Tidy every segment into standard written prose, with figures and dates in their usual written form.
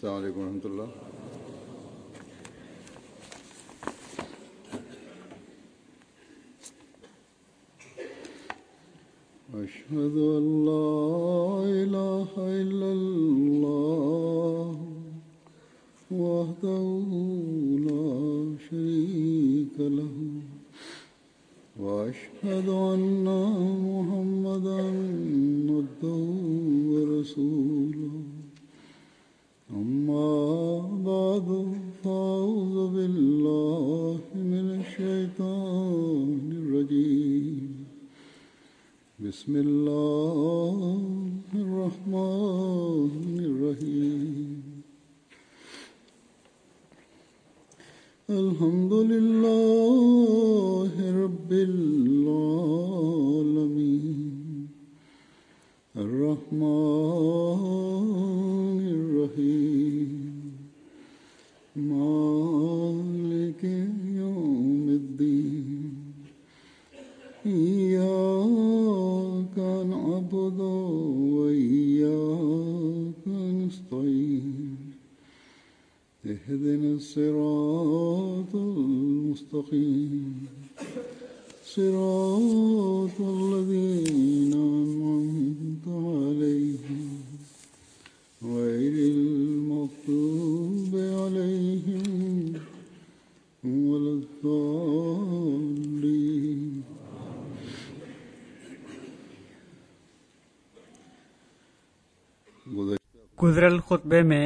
السلام عليڪم ورحمة الله. أشهد أن لا إله إلا الله وحده لا شريك له وأشهد أن محمدا عبده ورسوله أما بعد فأعوذ بالله من الشيطان الرجيم بسم الله الرحمن الرحيم الحمد لله رب العالمين الرحمن الرحيم مالك يوم الدين إياك نعبد وإياك نستعين اهدنا الصراط المستقيم صراط الذين أنعمت عليهم غير المغضوب عليهم ولا الضالين. گذريل خطبي ۾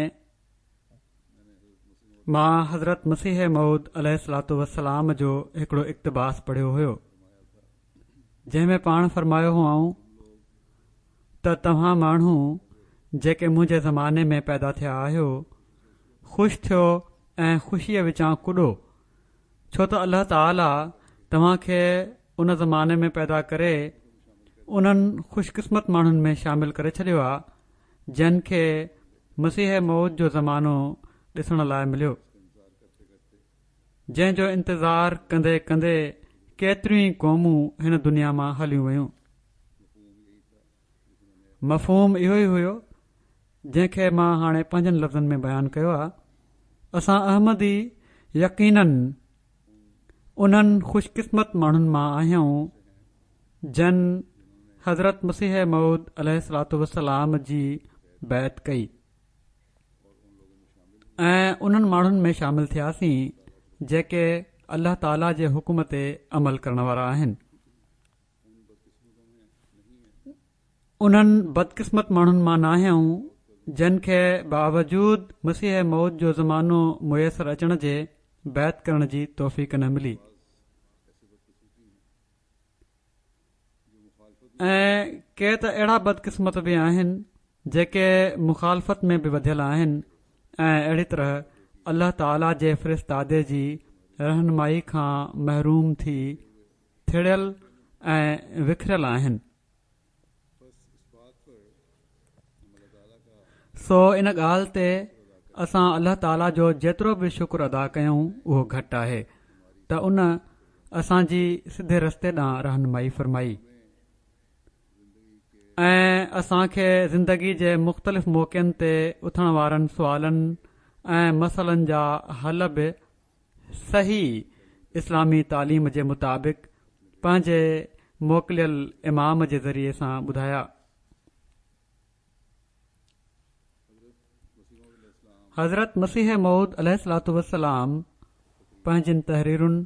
مان حضرت مسيح موعود عليه الصلوة والسلام جو هڪڙو اقتباس پڙهيو هيو، جنهن ۾ پاڻ فرمايو هئائون ته توهان ماڻهو جيڪي منهنجي زماني ۾ پيدا ٿيا آهيو، خوش ٿيو ۽ خوشيء وچان ڪڏو، ڇو ته الله تعاليٰ توهان کي ان زماني ۾ پيدا ڪري انهن خوش قسمت ماڻهن ۾ شامل ڪري ڇڏيو آهي، جن کي مسيح موعود جو زمانو ڏسڻ لاء مليو، جنهن جو انتظار ڪندي ڪندي ڪيتريون ئي قومون هن دنيا مان هليون ويون. مفهوم اهو ئي هيو جنهن کي مان هاڻي پنهنجن لفظن ۾ بيان ڪيو آهي. اسان احمدي يقيناً انهن خوش قسمت ماڻهن مان آهيون جن حضرت مسيح موعود عليه الصلوة والسلام جي بيعت ڪئي ۽ انهن ماڻهن ۾ شامل ٿياسين جيڪي الله تعالي جي حڪم تي عمل ڪرڻ وارا آهن. انهن بدقسمت ماڻهن مان ناهيون جن کي باوجود مسيح موعود جو زمانو ميسر اچڻ جي بيعت ڪرڻ جي توفيق نه ملي. ۽ ڪي ته اهڙا بدقسمت به آهن جيڪي مخالفت ۾ به وڌيل آهن ۽ اهڙي طرح الله تعالي جي فرستادي جي رهنمائي کان محروم ٿي ٿڙيل ۽ وکريل آهن. سو ان ڳالهه تي اسان الله تعالي جو جيترو به شڪر ادا ڪيون اهو گهٽ آهي ته ان اسان جي سڌي رستي ڏانهن رهنمائي فرمائي ۽ اسان کي زندگي جي مختلف موقعن تي اٿڻ وارن سوالن ۽ مسئلن جا حل به صحيح اسلامي تعليم جي مطابق پنهنجي موڪليل امام جي ذريعي سان ٻڌايا. حضرت مسيح موعود عليه الصلوة والسلام پنهنجين تحريرن،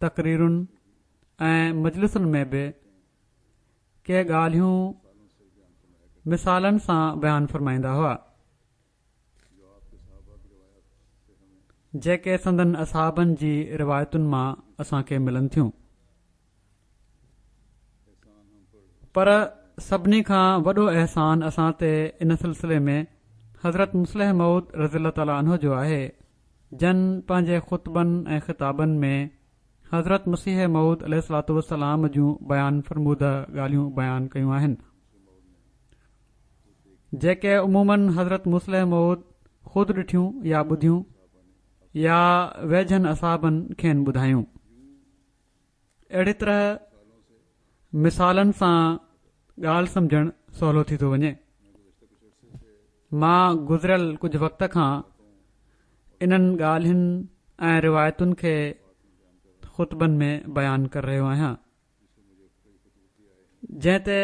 تقريرن ۽ مجلسن ۾ به ڪي ڳالهيون مثالن سان بيان فرمائيندا هئا. جيڪي سندن اصحابن جي روايتن مان اسان کي ملن ٿيون. پر سڀني کان وڏو احسان اسان تي ان سلسلي ۾ حضرت مصلح موعود رضي الله تعالٰي عنه جو آهي جن پنهنجي خطبن ۽ خطابن ۾ حضرت مسيح موعود عليه الصلوة والسلام جون بيان فرموده ڳالهيون بيان ڪيون آهن. جيڪي عموماً حضرت مصلح موعود خود ڏٺيون يا ٻڌيون يا ويجهن اصحابن کين ٻڌايون. اهڙي طرح مثالن سان ڳالهه سمجهڻ سولو ٿي ٿو وڃي. مان گذريل ڪجهه وقت کان انهن ڳالهين ۽ روايتن کي خطبن ۾ بيان ڪري رهيو آهيان جنهن تي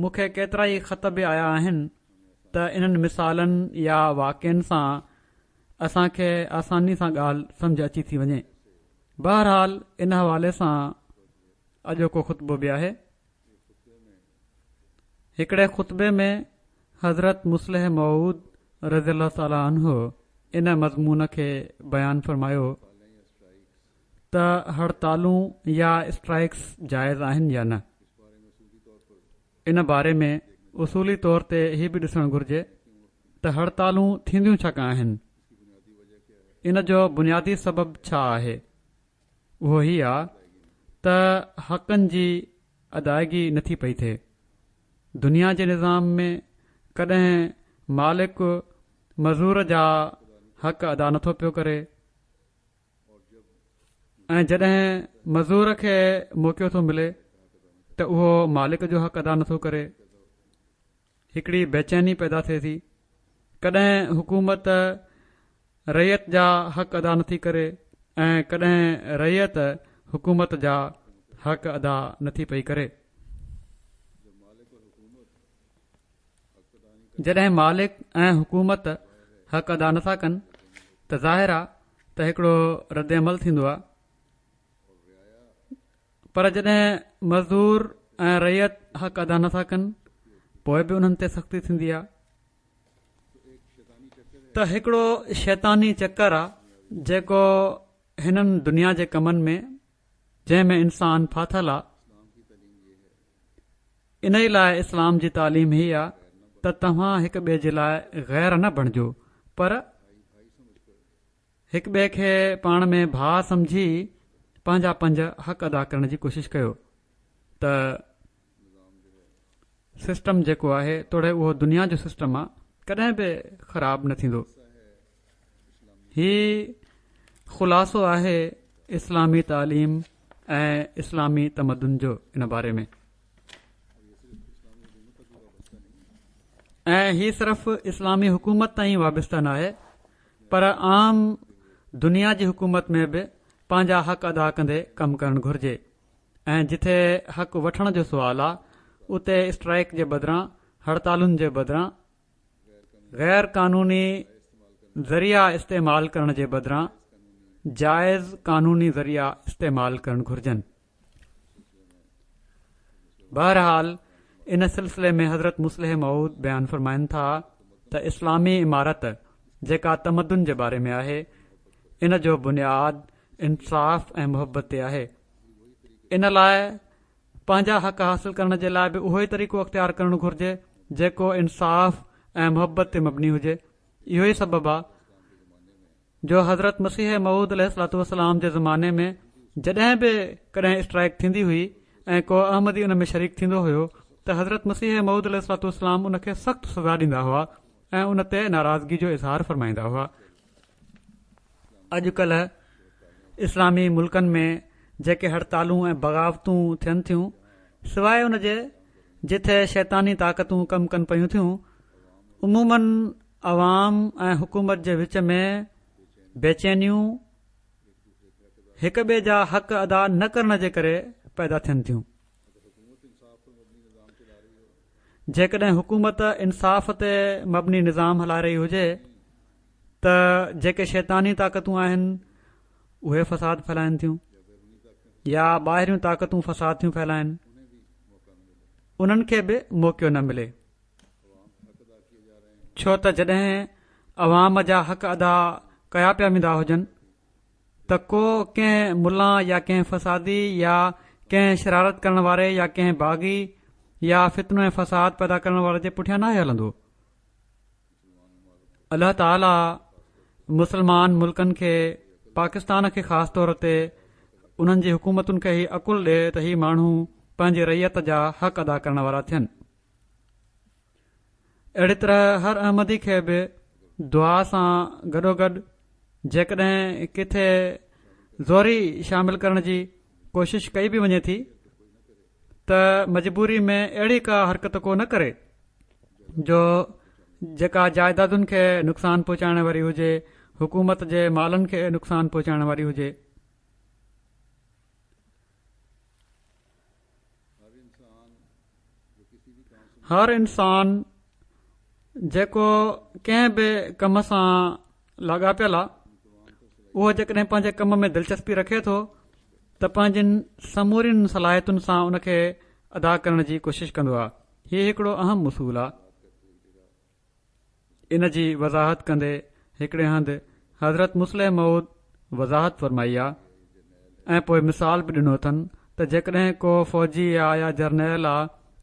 مون کي ڪيترائي خط به آيا آهن ته انهن مثالن يا واقعن سان اسان کي آساني سان ڳالهه سمجهه اچي ٿي وڃي. بهرحال ان حوالي سان اڄوڪو خطبو به آهي. هڪڙي خطبي ۾ حضرت مصلح موعود رضي الله تعالٰي عنه ان مضمون کي بيان فرمايو ته هڙتالون يا اسٽرائيڪس جائز آهن يا نه؟ ان باري ۾ اصولي طور تي هي به ڏسڻ گهرجي ته هڙتالون ٿينديون ڇاڪان آهن؟ ان جو بنيادي سبب ڇا آهي؟ اهو هي آ ته حقن جي ادائگي نٿي پئي ٿئي. دنيا جي نظام ۾ ڪڏهن مالڪ مزور جا حق ادا نٿو پيو ڪري ۽ جڏهن مزور کي موقعو ٿو ملي ته اهو مالڪ جو حق ادا نٿو ڪري. هڪڙي بيچيني پيدا ٿئي ٿي. ڪڏهن حڪومت رعيت جا حق ادا نٿي ڪري ۽ ڪڏهن رعيت حڪومت جا حق ادا نٿي پئي ڪري. جڏهن مالڪ ۽ حڪومت حق ادا نٿا ڪن ته ظاهر آ ته هڪڙو رد عمل ٿيندو آ. پر جڏهن مزدور ۽ رعيت حق ادا نٿا ڪن پوء به انهن تي سختي ٿيندي آ ته هڪڙو شيطاني چڪر آ جيڪو هنن دنيا جي ڪمن ۾ جنهن ۾ انسان ڦاٿل آ انهي لاء اسلام جي تعليم هي آ ته توهان هڪ ٻئي جي لاء غير نه بڻجو پر هڪ ٻئي کي پاڻ ۾ ڀاء سمجهي پنهنجا پنهنجا حق ادا ڪرڻ جي ڪوشش ڪيو ته سسٽم جيڪو آهي توڙي اهو دنيا جو سسٽم آ ڪڏهن به خراب نه ٿيندو. هي خلاصو آهي اسلامي تعليم ۽ اسلامي تمدن جو ان باري ۾. ۽ هي صرف اسلامي حڪومت تائين وابسته ناهي پر عام دنيا جي حڪومت ۾ به پنهنجا حق ادا ڪندي ڪم ڪرڻ گهرجي ۽ جٿي حق وٺڻ جو سوال آ اتي اسٽرائيڪ جي بدران هڙتالن جي بدران غير قانوني ذريعا استعمال ڪرڻ جي بدران جائز قانوني ذريعا استعمال ڪرڻ گهرجن. بهرحال ان سلسلي ۾ حضرت مصلح موعود بيان فرمائن ٿا ته اسلامي امارت جيڪا تمدن جي باري ۾ آهي ان جو بنياد انصاف ۽ محبت تي آهي ان لاء پنهنجا حق حاصل ڪرڻ جي لاء به اهو ئي طريقو اختيار ڪرڻ گهرجي جيڪو انصاف ۽ محبت تي مبني هجي اهو ئي سبب آهي جو حضرت مسيح موعود عليه الصلوة والسلام جي زماني ۾ جڏهن به ڪڏهن اسٽرائيڪ ٿيندي هئي ۽ ڪو احمدي ان ۾ شريڪ ٿيندو هيو ته حضرت مسيح موعود عليه الصلوة والسلام ان کي سخت سزا ڏيندا هئا ۽ ان تي ناراضگي جو اظهار فرمائيندا هئا. اڄ ڪلهه اسلامي ملڪن ۾ جيڪي هڙتالون ۽ بغاوتون ٿين ٿيون سواء ان جي جٿي شيطاني طاقتون ڪم ڪن پيون ٿيون عموماً عوام ۽ حڪومت جي وچ ۾ بيچينيون هڪ ٻئي جا حق ادا نه ڪرڻ جي ڪري پيدا ٿين ٿيون. جيڪڏهن حڪومت انصاف تي مبني نظام هلائي رهي هجي ته جيڪي شيطاني طاقتون آهن اهي فساد ڦهلائن ٿيون يا ٻاهريون طاقتون فساد ٿيون ڦهلائن انهن کي به موقعو نه ملي. ڇو ته جڏهن عوام جا حق ادا ڪيا پيا ويندا هجن ته ڪو ڪنهن ملان يا ڪنهن فسادي يا ڪنهن شرارت ڪرڻ واري يا ڪنهن باغي يا فتنو ۽ فساد پيدا ڪرڻ واري جي پٺيان ناهي هلندو. الله تعالي مسلمان ملڪن کي پاڪستان کي خاص طور تي انهن جي حڪومتن کي هي عقل ڏي ته هي ماڻهو پنهنجي رعيت جا حق ادا ڪرڻ وارا ٿين. اهڙي طرح هر احمدي کي به دعا سان گڏوگڏ جيڪڏهن ڪٿي زوري شامل ڪرڻ جي ڪوشش ڪئي به وڃي ٿي ته مجبوري ۾ اهڙي ڪا حرڪت ڪو نه ڪري جو جيڪا جائدادن کي نقصان پهچائڻ واري هجي. حڪومت جي مالن کي نقصان پهچائڻ واري هجي. هر انسان جيڪو ڪنهن به ڪم سان لاڳاپيل آ اهو جيڪڏهن پنهنجي ڪم ۾ دلچسپي رکي ٿو ته پنهنجين سمورين صلاحيتن سان ان کي ادا ڪرڻ جي ڪوشش ڪندو آ هي هڪڙو اهم اصول آ ان جي وضاحت ڪندي هڪڙي هنڌ حضرت مصلح موعود وضاحت فرمائي آ ۽ پوء مثال به ڏنو اٿن ته جيڪڏهن ڪو فوجي آ يا جرنيل آ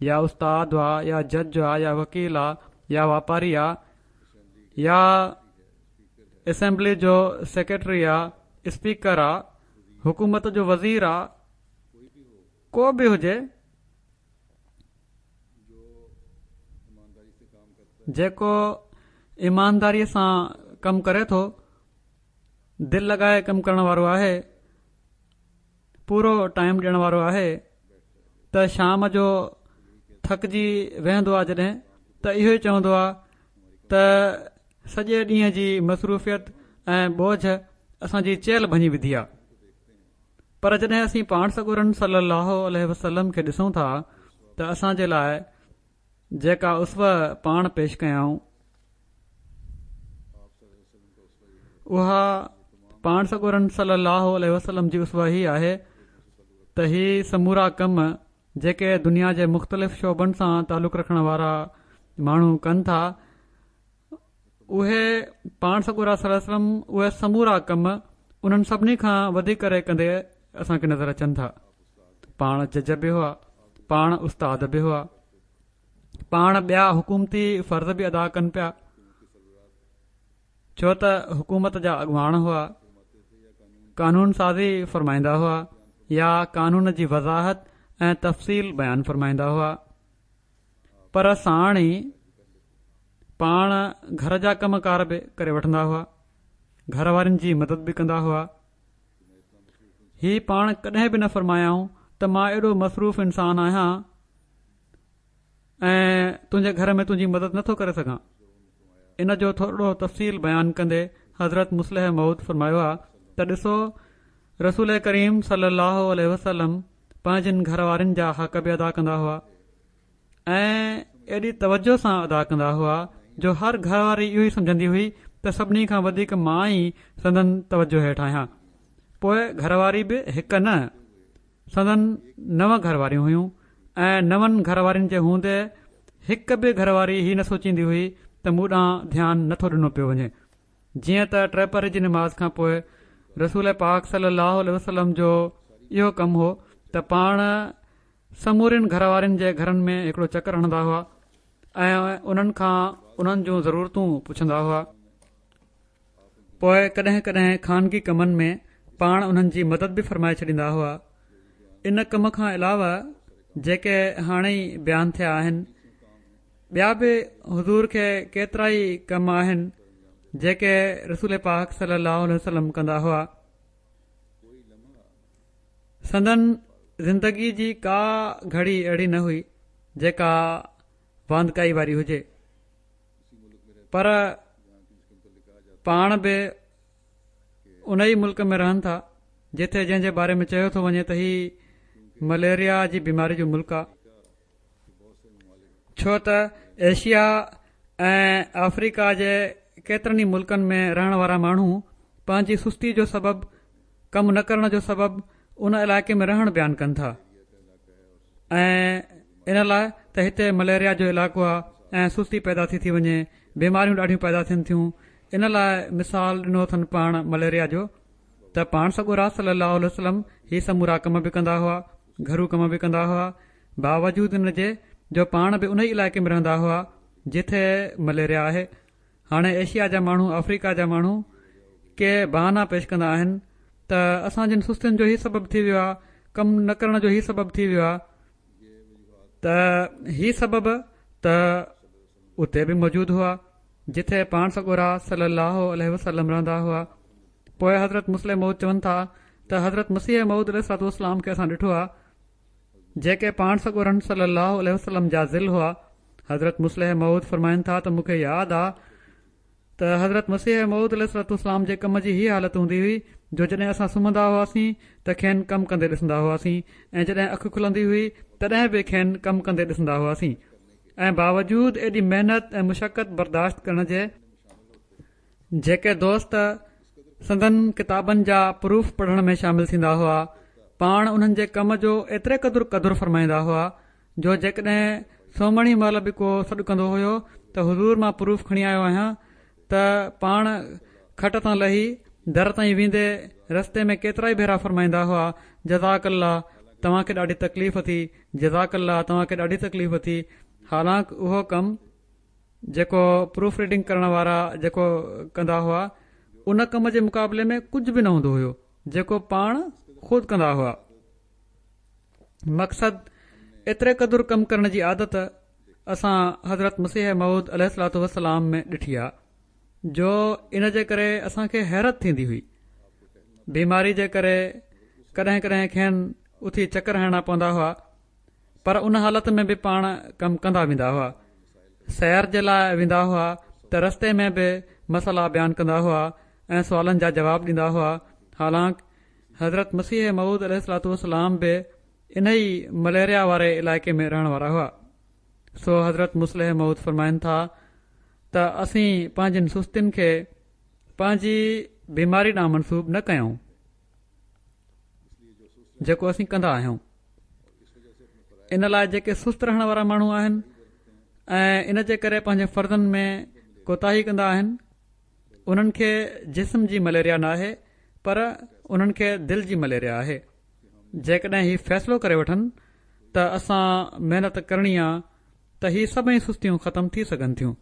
يا استاد آ يا جج آ يا وڪيل آ يا واپاري آ يا اسيمبلي جو سيڪريٽري آ اسپيڪر آ حڪومت جو وزير آ ڪو به هجي جيڪو ايمانداريء سان ڪم ڪري ٿو، دل لڳائي ڪم ڪرڻ وارو آهي، پورو ٽائيم ڏيڻ وارو آهي ته شام جو ٿڪجي ويهندو آهي جڏهن ته اهو ئي چوندو آهي ته سڄي ڏينهن جي مصروفيت ۽ بوجه اسان جي چيلهه ڀڃي وڌي آهي. پر جڏهن اسين پاڻ سڳورن صلي الله عليه وسلم کي ڏسون ٿا ته اسان جي لاء جيڪا اسوه پاڻ پيش ڪيائون اها پاڻ سڳورن صلي الله عليه وسلم جي اسوه هي آهي ته هي سمورا ڪم جيڪي دنيا جي مختلف شعبن سان تعلق رکڻ وارا ماڻهو ڪن ٿا اهي پاڻ سڳورا صلي الله عليه وسلم اهي سمورا ڪم انهن سڀني کان وڌي ڪري ڪندي اسان کي نظر اچن ٿا پاڻ جج به هئا پاڻ استاد به هئا پاڻ ٻيا حڪومتي فرض به ادا ڪن پيا ڇو ته حڪومت جا اڳواڻ هئا قانون سازي فرمائيندا هئا يا قانون جي وضاحت ۽ تفصيل بيان فرمائيندا هئا پر ساڻ ئي پاڻ گهر جا ڪم ڪار به ڪري وٺندا هئا گهر وارين جي مدد به ڪندا هئا هي پاڻ ڪڏهن به نه فرمايائون ته مان ايڏو مصروف انسان آهيان ۽ تنهنجي گهر ۾ تنهنجي مدد نٿو ڪري سگهان ان جو ٿورڙو تفصيل بيان ڪندي حضرت مصلح موعود فرمايو آ ته ڏسو رسول ڪريم صلي الله عليه وسلم پنهنجن گهر وارين جا حق به ادا ڪندا هئا ۽ ايڏي توجه سان ادا ڪندا هئا جو هر گهر واري اهو ئي سمجهندي هئي ته سڀني کان وڌيڪ مان ئي سندن توجه هيٺ آهيان پوء گهر واري به هڪ نه سندن نو گهر واريون هيون ۽ نون گهر وارين جي هوندي هڪ به گهر واري هي نه سوچيندي هئي ته مون ڏانهن ڌيان نٿو ڏنو پيو وڃي جيئن ته ٽيپهري جي نماز کان پوء رسول پاڪ صلي الله عليه وسلم جو اهو ڪم هو ته پاڻ سمورين گهر وارين جي گهرن ۾ هڪڙو چڪر هڻندا هئا ۽ انهن کان انهن جون ضرورتون پڇندا هئا پوء ڪڏهن ڪڏهن خانگي ڪمن ۾ پاڻ انهن جي مدد به فرمائي ڇڏيندا هئا ان ڪم کان علاوه جيڪي هاڻي ئي بيان ٿيا آهن ٻيا به حضور کي ڪيترائي ڪم آهن جيڪي رسول پاڪ صلي الله عليه وسلم ڪندا هئا سندن زندگي جي ڪا گهڙي اهڙي نه هئي جيڪا واندڪائي واري هجي پر پاڻ به ان ئي ملڪ ۾ رهن ٿا جتي جنهن جي باري ۾ چيو ٿو وڃي ته هي مليريا جي بيماري جو ملڪ آهي ڇو ته ايشيا ۽ آفريڪا جي ڪيترن ئي ملڪن ۾ رهڻ وارا ماڻهو پنهنجي سستي جو سبب ڪم نه ڪرڻ جو سبب ان علائقي ۾ رهڻ بيان ڪن ٿا ۽ ان لاء ته هتي مليريا جو علائقو آهي ۽ سستي پيدا ٿي ٿي وڃي بيماريون ڏاڍيون پيدا ٿين ٿيون ان لاء مثال ڏنو اٿن پاڻ مليريا جو ته پاڻ سڳورا صلي الله عليه وسلم هي سمورا ڪم به ڪندا هئا گهرو ڪم به ڪندا هئا باوجود ان جي جو پاڻ به انهي علائقي ۾ رهندا هئا جتي مليريا آهي. هاڻي ايشيا جا ماڻهو آفريڪا جا ماڻهو ڪي بهانا پيش ڪندا آهن ته اسان جن سستين جو هي سبب ٿي ويو آهي ڪم نه ڪرڻ جو هي سبب ٿي ويو آهي ته هي سبب ته اتي به موجود هئا جتي پاڻ سڳورا صلي الله عليه وسلم رهندا هئا پوء حضرت مصلح موعود چون ٿا ته حضرت مسيح موعود عليه الصلوة والسلام کي اسان ڏٺو آهي جيڪي پاڻ سڳورن صلّي اللّٰه عليه وسلّم جا ظل هئا. حضرت مصلح موعود فرمائن ٿا ته مون کي ياد آ ته حضرت مسيح موعود عليه الصلوة والسلام جي ڪم جي هيء حالت هوندي هئي جو جڏهن اسان سمهندا هئاسين ته کين ڪم ڪندي ڏسندا هئاسين ۽ جڏهن اک کلندي هئي تڏهن به کين ڪم ڪندي ڏسندا هئاسين ۽ باوجود ايڏي محنت ۽ مشقت برداشت ڪرڻ جي جيڪي دوست سندن ڪتابن جا پروف پڙهڻ ۾ شامل ٿيندا هئا پاڻ انهن جي ڪم جو ايتري قدر قدر فرمائيندا هئا جو جيڪڏهن سومهڻي مهل به ڪو سڏ ڪندو هيو ته حضور مان پروف کڻي آيو آهيان ته پاڻ کٽ تان لهي در تائين ويندي رستي ۾ ڪيترائي ڀيرا فرمائيندا هئا جزاڪ الله توهان کي ڏاڍي تڪليف ٿي جزاڪ الله توهان کي ڏاڍي تڪليف ٿي حالانڪ اهو ڪم جيڪو پروف ريڊنگ ڪرڻ وارا جيڪو ڪندا هئا ان ڪم جي مقابلي ۾ ڪجهه به نه هوندو هيو جيڪو پاڻ خود ڪندا هئا. مقصد ايتري قدر ڪم ڪرڻ جي عادت اسان حضرت مسيح موعود عليه الصلوة والسلام ۾ ڏٺي آ جو ان جي ڪري اسان کي حيرت ٿيندي هئي بيماري جي ڪري ڪڏهن ڪڏهن کين اٿي چڪر هڻڻا پوندا هئا پر ان حالت ۾ به پاڻ ڪم ڪندا ويندا هئا سير جي لاء ويندا هئا ته رستي ۾ به مسئلا بيان ڪندا هئا ۽ سوالن جا جواب ڏيندا هئا حالانڪ حضرت مسيح موعود عليه الصلوة والسلام به انهي مليريا واري علائقي ۾ رهڻ وارا هئا. سو حضرت مصلح موعود فرمائن ٿا ته اسين پنهنجين سستين کي پنهنجي بيماري ڏانهن منسوب نه ڪيون جيڪو اسين ڪندا آهيون. ان لاء جيڪي سست رهڻ وارا ماڻهو آهن ۽ ان جي ڪري پنهنجي فرضن ۾ ڪوتاهي ڪندا آهن انهن کي جسم جي مليريا ناهي پر انهن کي دل جي مليريا آهي جيڪڏهن هي فيصلو ڪري وٺن ته اسان محنت ڪرڻي آ ته هي سڀئي سستيون ختم ٿي سگهن ٿيون.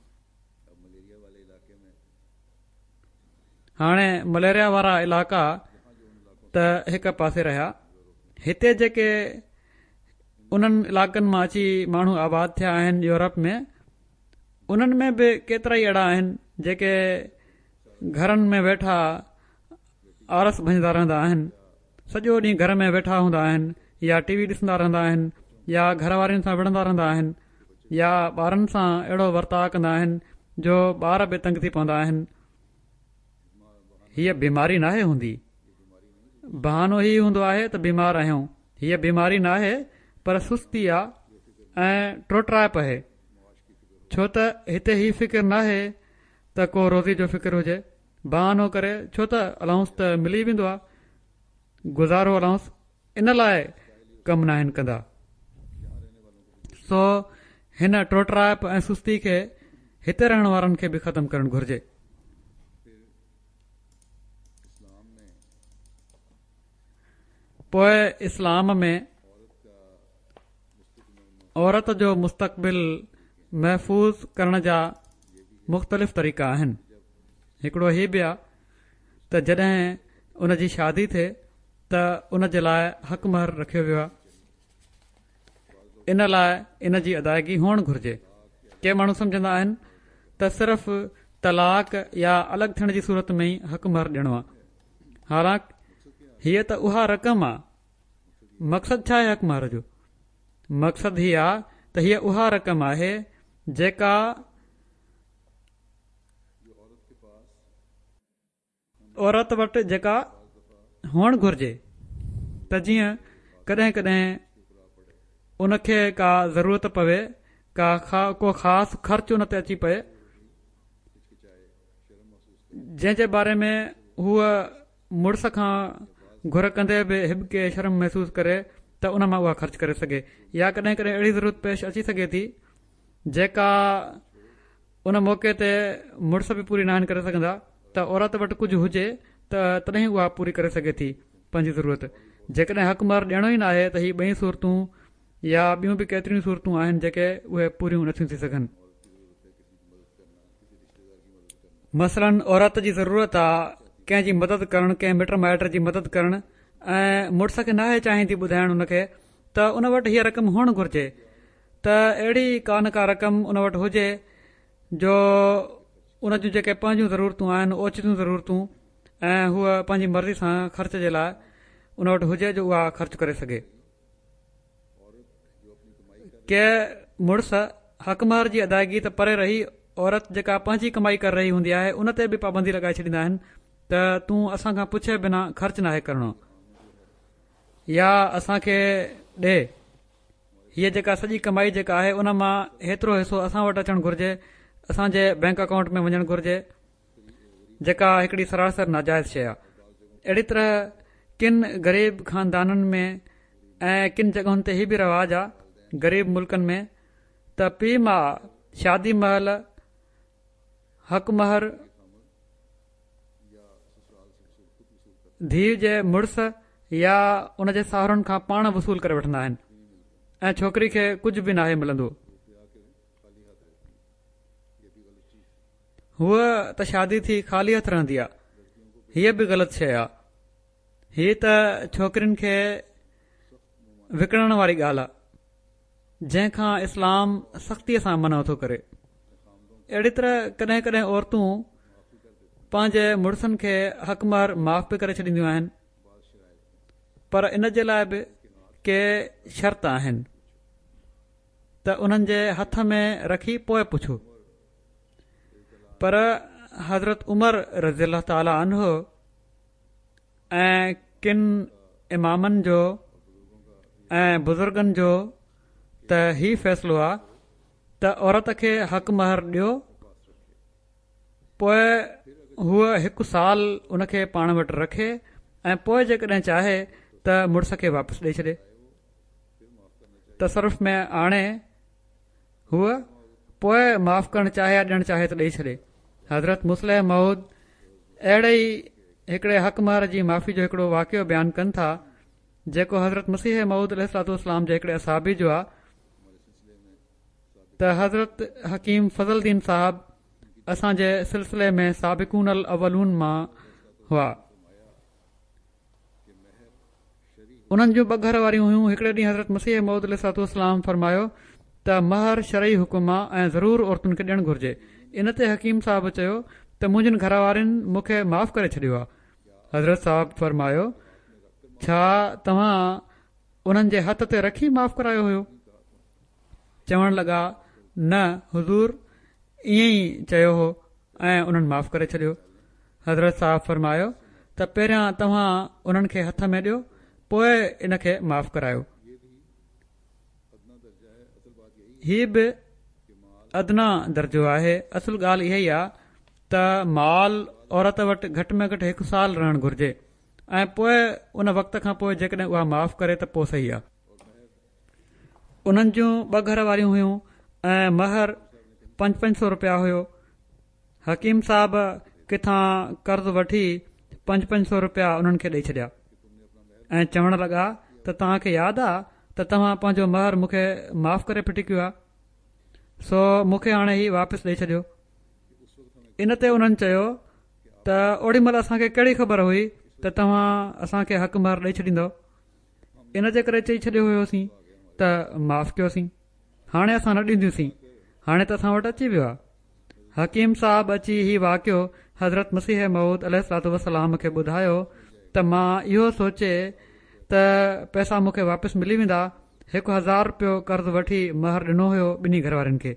هاڻي مليريا وارا علائقا ته هڪ پاسي رهيا هتي جيڪي انهن علائقن مان اچي ماڻهو آباد ٿيا آهن يورپ ۾ انهن ۾ به ڪيترائي اهڙا آهن جيڪي گهرن ۾ ويٺا آرس ڀڃندا رهندا آهن سڄو ڏينهن گهر ۾ ويٺا هوندا آهن يا ٽي وي ڏسندا رهندا آهن يا گهر وارين سان وڙهندا رهندا آهن يا ٻارن سان اهڙو ورتاء ڪندا آهن جو ٻار به تنگ ٿي پوندا آهن هيء بيماري ناهي هوندي بهانو هي هوندو آهي ته بيمار آهيون هيء بيماري ناهي پر سستي آ ۽ ٽوٽرائپ آهي ڇو ته هتي هي فڪر ناهي ته ڪو روزي جو فڪر هجي بهانو ڪري ڇو ته الائونس ته ملي ويندو آ گذارو الائونس ان لاء ڪم ناهن ڪندا سو هن ٽوٽرائپ ۽ سستي کي هتي رهڻ وارن کي به ختم ڪرڻ گهرجي. پوء اسلام ۾ عورت جو مستقبل محفوظ ڪرڻ جا مختلف طريقا آهن. هڪڙو هي به آ ته جڏهن ان جي شادي ٿئي ته ان جي لاء حق مهر رکيو ويو آ. ان لاء ان جي ادائگي هئڻ گهرجي. ڪي ماڻهو سمجهندا آهن ته صرف طلاق يا الڳ ٿيڻ جي صورت ۾ ئي حق مهر ڏيڻو آ. حالانڪ هيء ته اها رقم آ. مقصد ڇا آهي حق مهر جو؟ مقصد هي آ ته هيء اها رقم آهي جيڪا عورت وٽ جيڪا هئڻ گهرجي ته جيئن ڪڏهن ڪڏهن ان کي ڪا ضرورت پوي ڪا ڪو خاص خرچ ان تي اچي پئي جنهن جي باري ۾ هوء مڙس کان گهر ڪندي به هٻڪي شرم محسوس ڪري ته ان مان اها خرچ ڪري سگهي يا ڪڏهن ڪڏهن اهڙي ضرورت پيش اچي سگهي ٿي جيڪا ان موقعي تي مڙس به پوري ناهن ڪري سگهندا ته عورت وٽ ڪجهه هجي ته تڏهن اها پوري ڪري سگهي ٿي پنهنجي ضرورت جيڪڏهن حق مهر ڏيڻو ئي ناهي ته هي ٻئي صورتون يا ٻيون به ڪيتريون صورتون آهن جيڪي اهي پوريون نٿيون ٿي سگهن. مثلاً عورت جي ضرورت آ ڪنهن جي مدد ڪرڻ ڪنهن مٽ مائٽ جي مدد ڪرڻ ۽ مڙس کي ناهي چاهيندي ٻڌائڻ ان کي ته ان وٽ هيء رقم هئڻ گهرجي ته اهڙي ڪا نه ڪا رقم ان وٽ هجي جو ان جون جيڪي پنهنجون ضرورتون آهن اوچتيون ضرورتون ۽ هوء پنهنجي مرضي سان خرچ جي لاء ان وٽ هجي جو اها خرچ ڪري سگهي. ڪي مڙس حق مهر جي ادائگي ته پري رهي عورت جيڪا پنهنجي ڪمائي ڪري رهي هوندي آهي ان تي به پابندي لڳائي ڇڏيندا آهن ته تون اسان کان پڇي بنا خرچ ناهي ڪرڻو يا اسان کي ڏي هيء جيڪا سڄي ڪمائي جيڪا آهي ان مان هيترو حصو اسان وٽ اچڻ گهرجي اسان جي بئنڪ اڪائونٽ ۾ وڃڻ گهرجي جيڪا هڪڙي سراسر ناجائز شيء آهي اهڙي طرح ڪن غريب خاندانن ۾ ۽ ڪن جڳهن تي هي به رواج آهي غريب ملڪن ۾ ته پيء ماء شادي مهل حق مهر ڌيء جي مڙس يا ان جي ساهرن کان پاڻ وصول ڪري وٺندا آهن ۽ ڇوڪري کي ڪجهه به ناهي ملندو هوء ته شادي ٿي خالي هٿ رهندي آ هيء به غلط شيء آ هي ته ڇوڪرين کي وڪڻڻ واري ڳالهه آ جنهن کان اسلام سختيء سان منع ٿو ڪري. اهڙي طرح ڪڏهن ڪڏهن عورتون پنهنجي مڙسن کي حق مهر معاف به ڪري ڇڏينديون آهن پر ان جي لاء به ڪي شرط آهن ته انهن جي هٿ ۾ رکي پوء پڇو پر حضرت عمر رضي الله تعاليٰ عنه ۽ ڪن امامن جو ۽ بزرگن جو ته هي فيصلو آ ته عورت کي حق مهر ڏيو پوء هوء هڪ سال ان کي پاڻ وٽ رکي ۽ پوء جيڪڏهن چاهي ته مڙس کي واپس ڏئي ڇڏي تصرف ۾ آڻي هوء پوء معاف ڪرڻ چاهي يا ڏيڻ چاهي ته ڏئي ڇڏي. حضرت مصلح موعود اهڙي ئي هڪڙي حق مهر جي معافي جو هڪڙو واقعو بيان ڪن ٿا، جيڪو حضرت مسيح موعود عليه الصلوة والسلام جي هڪڙي اصحابي جو آ ته حضرت حڪيم فضل دين صاحب اسان جي سلسلي ۾ سابقون الاولون مان هئا. انهن جون ٻه گهر واريون هيون هڪڙي ڏينهن حضرت مسيح موعود عليه الصلوة والسلام فرمايو ته مهر شرعي حڪم آ ۽ ضرور عورتن کي ڏيڻ گهرجي ان تي حڪيم صاحب چيو ته منهنجين گهر وارين مون کي معاف ڪري ڇڏيو آ حضرت صاحب فرمايو ڇا توهان انهن جي هٿ تي رکي معاف ڪرايو هيو چوڻ لڳا نه حضور ائين ئي چيو هو ۽ انهن معاف ڪري ڇڏيو. حضرت صاحب فرمايو ته پهريان توهان انهن کي هٿ ۾ ڏيو پوء ان کي معاف ڪرايو. هي به ادنيٰ درجو آهي، اصل ڳالهه اها ئي آ ته مال عورت وٽ گهٽ ۾ گهٽ هڪ سال رهڻ گهرجي ۽ پوء ان وقت کان پوء جيڪڏهن اها معاف ڪري ته پوء صحيح آ. انهن جون ٻه گهر واريون هيون ۽ مهر پنج پنج سو رپيا هيو. حڪيم صاحب ڪٿان قرض وٺي پنج پنج سو رپيا انهن کي ڏئي ڇڏيا ۽ چوڻ لڳا ته توهان کي ياد آ ته توهان پنهنجو مهر مون کي معاف ڪري ڦٽي ڪيو آ سو مون کي هاڻي هي واپس ڏئي ڇڏيو. ان تي انهن چيو ته اوڏي مهل اسان کي ڪهڙي خبر هئي ته توهان اسان کي حق مهر ڏئي ڇڏيندؤ. ان جي ڪري چئي ڇڏيو هيوسين ته معاف ڪيوسين هاڻي اسان نه ڏينديونسين هاڻي ته اسان وٽ اچي ويو آهي حڪيم صاحب اچي هي واقعو حضرت مسيح موعود عليه الصلوة والسلام کي ٻڌايو ته مان اهو سوچي ته پئسا مون کي واپس ملي ويندا هڪ هزار رپيو قرض وٺي مهر ڏنو هيو ٻنهي گهر وارين کي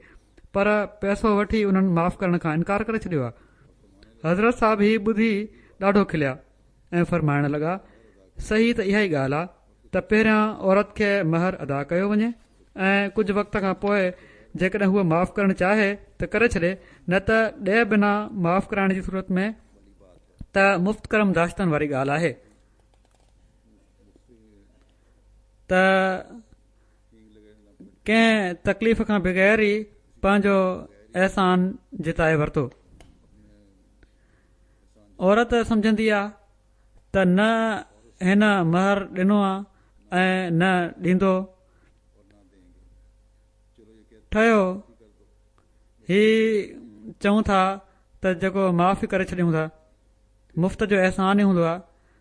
پر پئسو وٺي انهن معاف ڪرڻ کان انڪار ڪري ڇڏيو آهي حضرت صاحب هي ٻڌي ڏاڍو کليا ۽ فرمائڻ لڳا، صحيح ته اها ئي ڳالهه آ ته پهريان عورت کي مهر ادا ڪيو وڃي ۽ ڪجهه وقت کان پوء جيڪڏهن هوء معاف ڪرڻ چاهي ته ڪري ڇڏي نه ته ڏئي بنا معاف ڪرائڻ جي صورت ۾ ته مفت ڪرم داشتن واري ڳالهه آهي ته ڪنهن تڪليف کان بغير ئي پنهنجو احسان جتائي ورتو. عورت سمجهندي آ ته نه هن مهر ڏنو آ ۽ نه ڏيندو ٺهيو هي چئون ٿا ته جيڪو معاف ڪري ڇڏيون ٿا مفت جو احسان ئي هوندو آ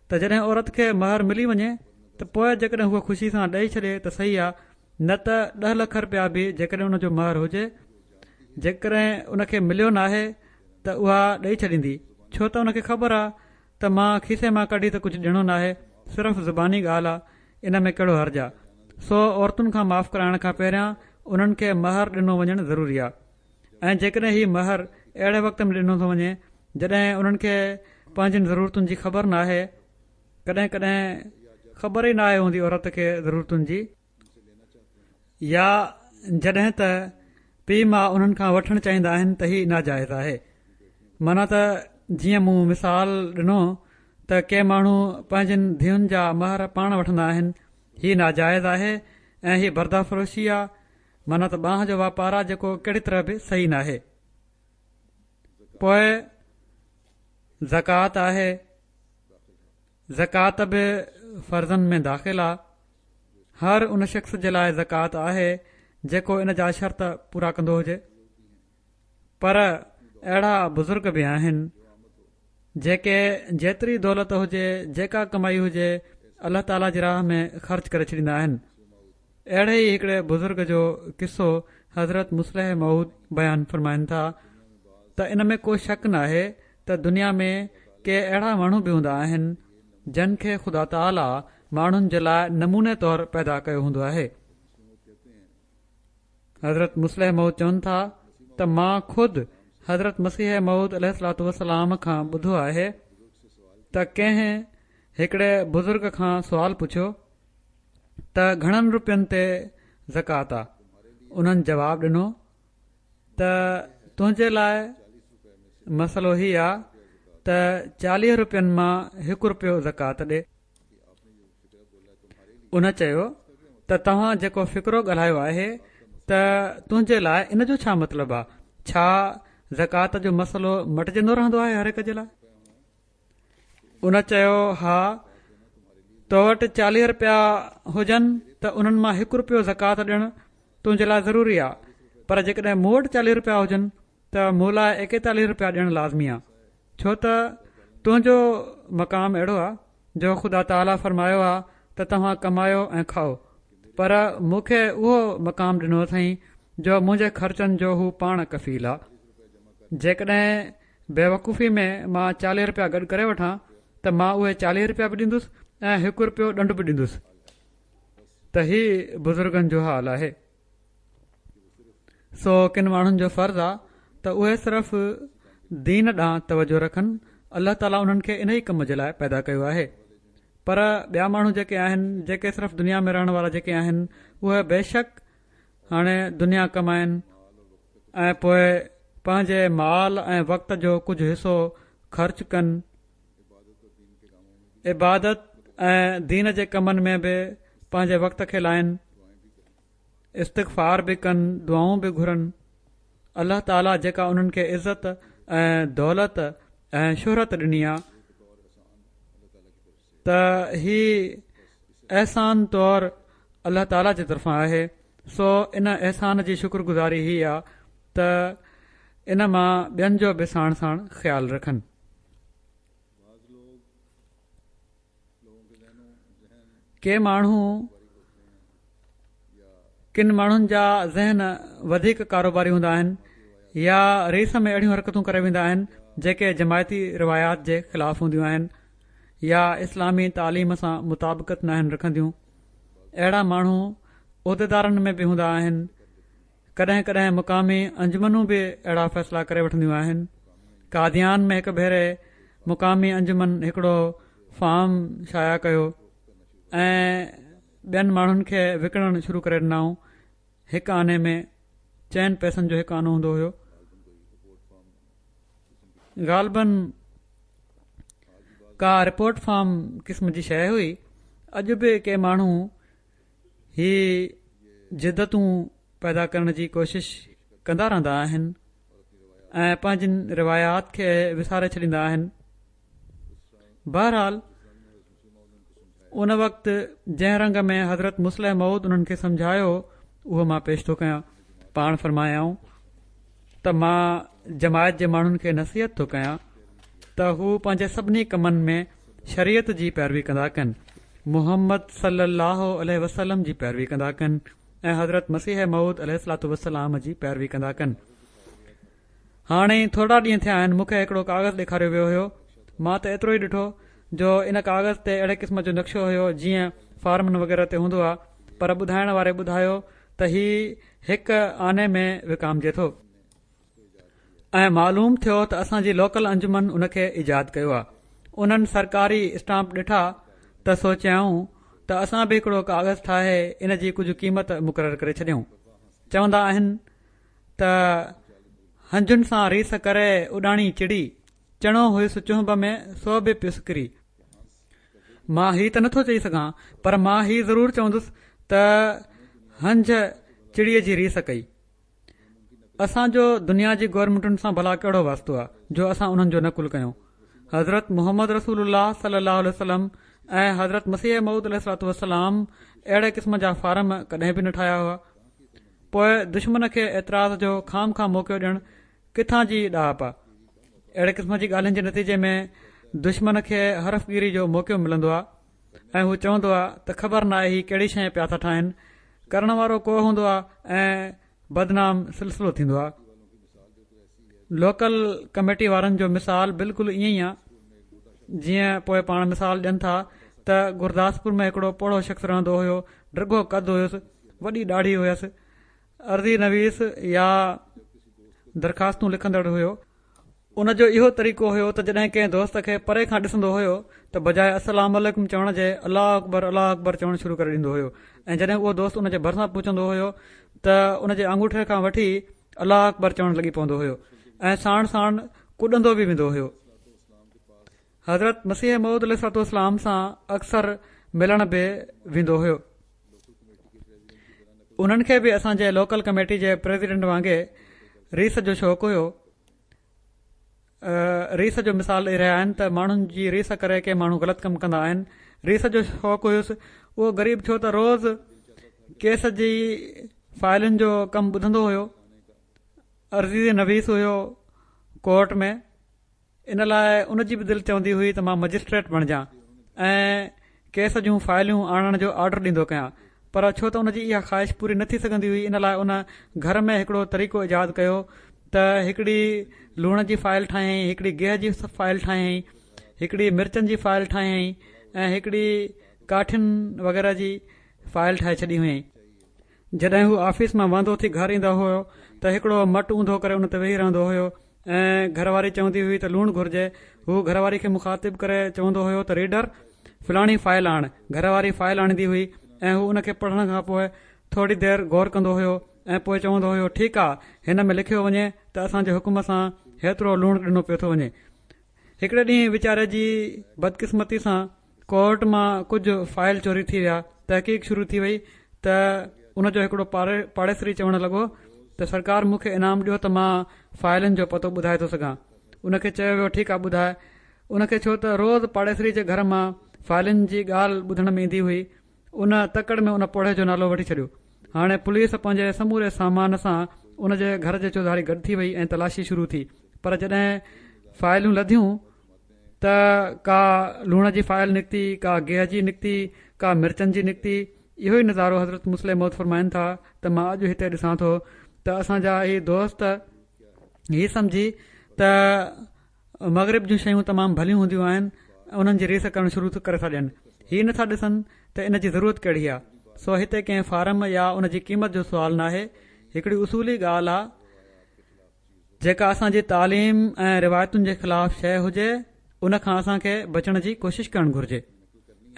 ته جڏهن عورت کي مهر ملي وڃي ته پوء جيڪڏهن هوء خوشي سان ڏئي ڇڏي ته صحيح آ نه ته ڏهه لک رپيا به جيڪڏهن ان جو مهر هجي جيڪڏهن ان کي مليو ناهي ته اها ڏئي ڇڏيندي ڇو ته ان کي خبر آ ته مان کيسي مان ڪڍي ته ڪجهه ڏيڻو ناهي صرف زباني ڳالهه آ ان ۾ ڪهڙو حرج آ سو عورتن کان معاف ڪرائڻ کان پهريان انهن کي مهر ڏنو وڃڻ ضروري آ. ۽ جيڪڏهن هي مهر اهڙي وقت ۾ ڏنو ٿو وڃي جڏهن انهن کي پنهنجين ضرورتن جي خبر ناهي ڪڏهن ڪڏهن خبر ئي ناهي هوندي عورت کي ضرورتن جي يا جڏهن ته پيء ماء انهن کان وٺڻ چاهيندا آهن ته هي ناجائز آهي معنيٰ ته جيئن مون مثال ڏنو ته ڪي ماڻهو پنهنجين ڌيئن جا مهر پاڻ وٺندا آهن هي ناجائز آهي ۽ هي برده فروشي آ معنيٰ ته ٻانهن جو واپار آ جيڪو ڪهڙي طرح به صحيح ناهي. پوء زڪوات آهي، زڪوات به فرضن ۾ داخل آ. هر ان شخص جي لاء زڪوات آهي جيڪو ان جا شرط پورا ڪندو هجي. پر اهڙا بزرگ به آهن جيڪي جيتري دولت هجي جيڪا ڪمائي هجي الله تعالي جي راهه ۾ خرچ ڪري ڇڏيندا آهن. اهڙي ئي هڪڙي بزرگ جو قصو حضرت مصلح موعود بيان فرمائن ٿا ته ان ۾ ڪو شڪ ناهي ته دنيا ۾ ڪي اهڙا ماڻهو به هوندا آهن جن کي خدا تعاليٰ ماڻهن جي لاء نموني طور پيدا ڪيو هوندو آهي. حضرت مصلح موعود چون ٿا ته مان خود حضرت مسيح موعود عليه الصلوة والسلام کان ٻڌو آهي ته ڪنهن هڪڙي بزرگ کان سوال پڇيو ته گهڻن روپين تي زڪوات آ؟ انهن جواب ڏنو ته تنهنجي لاء مسئلو هي آ ته چاليهه روپين مان هڪ روپيو زڪوات ڏي. ان چيو ته توهان جيڪو فقرو ڳالهايو آهي ته تنهنجي لاء ان جو ڇا مطلب آ؟ ڇا زڪوات جو مسئلو مٽجندو رهندو آهي هر هڪ جي لاء؟ ان چيو، ها، تو وٽ چاليهه رپيا هجن ته انهن مان هڪ رپيو زڪوات ڏيڻ تنهنجي لاء ضروري آ، پر جيڪڏهن مون وٽ چاليهه رپيا هجن ته مون لاء ايڪيتاليهه رپيا ڏيڻ لازمي آ، ڇو ته تنهنجو مقام اهڙو آ جو خدا تعاليٰ فرمايو آ ته توهان ڪمايو ۽ کائو، پر مون کي اهو مقام ڏنو اٿائين جو منهنجي خرچن جو هو پاڻ ڪفيل آ. جيڪڏهن بيوقوفي ۾ مان چاليهه رپيا گڏ ڪري وٺان ته مان اهي چاليهه رپيا به ڏيندس ۽ هڪ رپيو ڏنڊ به ڏيندس ته هي بزرگن جو حال آهي سو ڪن ماڻهن جو فرض آ ته اهي صرف دين ڏانهن توجه رکن الله تعاليٰ انهن کي انهي ڪم جي لاء پيدا ڪيو آهي پر ٻيا ماڻهو جيڪي آهن جيڪي صرف دنيا ۾ رهڻ وارا جيڪي آهن اهي بيشڪ هاڻي دنيا ڪمائن ۽ پوء پنهنجي مال ۽ وقت جو ڪجهه حصو خرچ ڪن، عبادت ۽ دين جي ڪمن ۾ به پنهنجي وقت کي لائن، استغفار به ڪن، دعائون به گهرن، الله تعالي جيڪا انهن کي عزت ۽ دولت ۽ شهرت ڏني آ ته هي احسان طور الله تعالي جي طرفان آهي سو ان احسان جي شڪر گذاري هي آ ته ان مان ٻين جو به ساڻ ساڻ خيال رکن. ڪي ماڻهو ڪن ماڻهن جا ذهن وڌيڪ ڪاروباري هوندا آهن يا ريس ۾ اهڙيون حرڪتون ڪري ويندا آهن جيڪي جماعتي روايات جي خلاف هونديون آهن يا اسلامي تعليم سان مطابقت ناهن رکنديون اهڙا ماڻهو عهديدارن ۾ به هوندا آهن ڪڏهن ڪڏهن مقامي انجمنون به اهڙا فيصلا ڪري وٺنديون آهن قاديان ۾ هڪ ڀيري مقامي انجمن هڪڙو فارم شايع ڪيو ۽ ٻين ماڻهن کي وڪڻڻ شروع ڪري ڏنائون هڪ آني ۾ چئن پئسن جو هڪ آنو هوندو هيو غالبن ڪا رپورٽ فارم قسم جي شيء هئي اڄ به ڪي ماڻهو هي جدتون پيدا ڪرڻ جي ڪوشش ڪندا رهندا آهن ۽ پنهنجين روايات کي وساري ڇڏيندا آهن بهرحال ان وقت جنهن رنگ ۾ حضرت مصلح موعود انهن کي سمجهايو اهو مان پيش ٿو ڪيان پاڻ فرمايائون ته مان جماعت جي ماڻهن کي نصيحت ٿو ڪيان ته هو پنهنجي سڀني ڪمن ۾ شريعت جي پيروي ڪندا ڪن محمد صلي الله عليه وسلم جي پيروي ڪندا ڪن ۽ حضرت مسيح موعود عليه الصلوة والسلام جي پيروي ڪندا ڪن هاڻي ئي ٿورڙا ڏينهن ٿيا آهن مون کي هڪڙو ڪاغذ ڏيکاريو ويو هيو مان ته ايترو ئي ڏٺو جو ان ڪاغذ تي اهڙي قسم جو نقشو هيو جيئن فارمن وغيره تي هوندو آهي پر ٻڌائڻ واري ٻڌايو ته هي هڪ آني ۾ وڪامجي ٿو. ۽ معلوم ٿيو ته اسان جي لوڪل انجمن ان کي ايجاد ڪيو آهي. انهن سرڪاري اسٽامپ ڏٺا ته سوچيائون ته اسان به هڪڙو ڪاغذ ٺاهي ان جي ڪجهه قيمت مقرر ڪري ڇڏيون. چوندا آهن ته هنجن سان ريس ڪري اڏاڻي چڙي، چڻو هيس چهنب ۾ سو به پيس ڪري. مان هي ته نٿو چئي سگهان پر مان هي ضرور چوندس ته هنج چڙيء جي ريس ڪئي. اسان جو دنيا جي گورنمينٽن سان ڀلا ڪهڙو واسطو آهي جو اسان انهن جو نقل ڪيون. حضرت محمد رسول الله صلي الله عليه وسلم ۽ حضرت مسيح موعود عليه الصلوة والسلام اهڙي قسم جا فارم ڪڏهن به نه ٺاهيا هئا. پوء دشمن کي اعتراض جو خوامخواه موقعو ڏيڻ ڪٿان جي ڏاهپ آهي. اهڙي قسم جي ڳالهين جي نتيجي ۾ دشمن کي حرف گيري جو موقعو ملندو آهي. ۽ هو چوندو آ ته خبر ناهي هي ڪهڙي شيء پيا ٿا ٺاهن، ڪرڻ وارو ڪو هوندو آ ۽ بدنام سلسلو ٿيندو آ. لوڪل ڪميٽي وارن جو مثال بلڪل ائين ئي آ جيئن پوء پاڻ مثال ڏين ٿا ته گرداسپور ۾ هڪڙو پوڙهو شخص رهندو هيو، ڊگهو قد هيس، وڏي ڏاڙهي هيس، عرضي نويس يا درخواستون لکندڙ هيو. ان جو اهو طريقو هيو ته جڏهن ڪنهن دوست کي پري کان ڏسندو هيو ته بجاء السلام عليڪم چوڻ جي الله اڪبر الله اڪبر چوڻ شروع ڪري ڏيندو هيو ۽ جڏهن اهو دوست ان جي ڀرسان پهچندو هيو ته ان جي آڱوٺي کان وٺي الله اڪبر چوڻ لڳي پوندو هيو ۽ ساڻ ساڻ ڪڏندو به ويندو هيو. حضرت مسيح موعود عليه الصلوة والسلام سان اڪثر ملڻ به ويندو هيو. انهن کي به اسان جي لوڪل ڪميٽي جي پريزيڊنٽ وانگي ريس جو شوق هيو. ريس جو مثال ڏئي رهيا آهن ته ماڻهن جي ريس ڪري ڪي ماڻهو غلط ڪم ڪندا آهن. ريس جو شوق هيس. اهو غريب ڇو ته روز ڪيس جي فائلن جو ڪم ٻڌندو هيو. عرضي نويس هيو ڪورٽ ۾. ان لاء ان جي به دل چوندي هئي ته مان مئجسٽريٽ بڻجان ۽ ڪيس جون فائلون آڻڻ جو آرڊر ڏيندو ڪيان پر ڇو ته ان جي اها خواهش پوري نه ٿي سگهندي هئي ان لاء ان گهر ۾ هڪڙو طريقو ايجاد ڪيو ته هڪڙي لوڻ جي فائل ٺاهيائين هڪڙي گيهه جي فائل ٺاهيائين هڪڙي مرچن جي فائل ٺاهيائين ۽ هڪڙي ڪاٺين وغيره جي فائل ٺاهي ڇڏي هئائين. جڏهن هو آفيس مان واندو ٿي گهر ايندو هيو ته هڪڙو مٽ اونڌو ڪري ان تي ويهي رهندو هيو ۽ گهر واري چوندي هئي ته لوڻ گهرجي هو گهر واري کي مخاطب ڪري چوندو هيو ته ريڊر فلاڻي فائل آڻ گهر واري فائل آڻيندي هئي ۽ هو ان کي پڙهڻ کان پوء ٿوري دير غور ڪندو هيو ۽ پوء چوندو هيو ٺيڪ آ هن ۾ لکيو وڃي ته اسان جي حڪم سان هيترو لوڻ ڏنو پيو ٿو وڃي هڪڙي ڏينهن ويچاري جي بدقسمتي سان ڪورٽ مان ڪجهه فائل چوري ٿي ويا، تحقيق شروع ٿي وئي ته ان جو هڪڙو پاڙيسري چوڻ لڳو ته سرڪار مون کي انعام ڏيو ته مان فائلن جو پتو ٻڌائي ٿو سگهان. ان کي چيو ويو ٺيڪ آ ٻڌاء. ان کي ڇو ته روز پاڙيسري جي گهر مان فائلن جي ڳالهه ٻڌڻ ۾ ايندي هئي ان تڪڙ ۾ ان پوڙهي جو نالو وٺي ڇڏيو. هاڻي پوليس پنهنجي سموري سامان سان ان جي گهر جي چوڌاري گڏ ٿي وئي ۽ تلاشي شروع ٿي پر جڏهن فائلون لڌيون ته ڪا لوڻ جي فائل نڪتي، ڪا گيهه جي نڪتي، ڪا مرچن جي نڪتي. اهو ئي نظارو حضرت مصلح موعود فرمائن ٿا ته مان اڄ هتي ڏسان ٿو ته اسان جا هي دوست هي سمجهي ته مغرب جون شيون تمام ڀليون هونديون آهن انهن جي ريس ڪرڻ شروع ڪري ٿا ڏين. هي نٿا ڏسن ته ان جي ضرورت ڪهڙي آهي. سو هتي ڪنهن فارم يا ان جي قيمت جو سوال ناهي. هڪڙي اصولي ڳالهه آ جيڪا اسان جي تعليم ۽ روايتن جي خلاف شيء هجي ان کان اسان کي بچڻ جي ڪوشش ڪرڻ گهرجي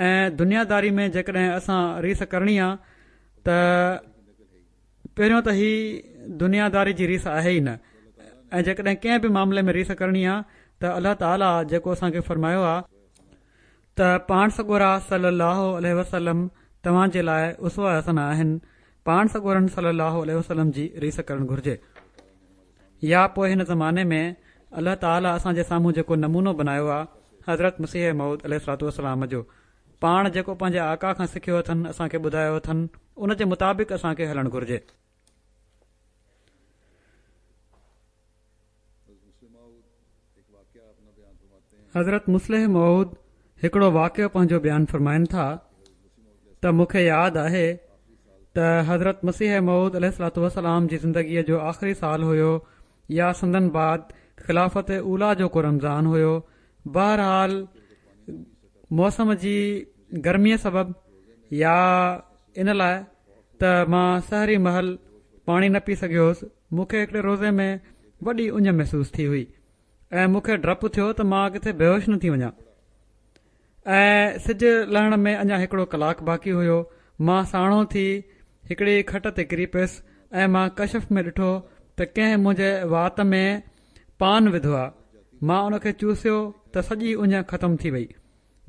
۽ دنيا داري ۾ جيڪڏهن اسان ريس ڪرڻي آ ته پهريون ته هي دنيا داري جي ريس آهي ئي نه ۽ جيڪڏهن ڪنهن به معاملي ۾ ريس ڪرڻي آ ته الله تعاليٰ جيڪو اسان کي فرمايو آ ته پاڻ سڳورا صلي الله عليه وسلم توهان جي لاء اسوه حسنه آهن پاڻ سڳورن صلي الله عليه وسلم جي ريس ڪرڻ گهرجي يا پوء هن زماني ۾ الله تعاليٰ اسان جي سامهون جيڪو نمونو بنايو آ حضرت مسيح موعود عليه الصلوة والسلام جو پاڻ جيڪو پنهنجي آقا کان سکيو اٿن اسان کي ٻڌايو اٿن ان جي مطابق اسان کي هلڻ گهرجي. حضرت مصلح موعود هڪڙو واقعو پنهنجو بيان فرمائن ٿا ته مون کي ياد آهي ته حضرت مسيح موعود عليه الصلوة والسلام جي زندگيء جو آخري سال هيو يا سندن بعد خلافت اوليٰ جو ڪو رمضان هيو بهرحال موسم جي گرميء سبب يا ان لاء ته مان سحري مهل پاڻي نه پي سگهيو هوس مون کي هڪڙي روزي ۾ وڏي اڃ محسوس ٿي هئي ۽ مون کي ڊپ ٿيو ته مان ڪٿي بيهوش نه ٿي وڃان ۽ سج لهڻ ۾ اڃا هڪڙو ڪلاڪ باقي هيو. مان ساڻو ٿي هڪڙي کٽ تي ڪري پيس ۽ مان ڪشف ۾ ڏٺو ته ڪنهن منهنجي وات ۾ پان وڌو آ. مان ان کي چوسيو ته سڄي اڃ ختم ٿي وئي.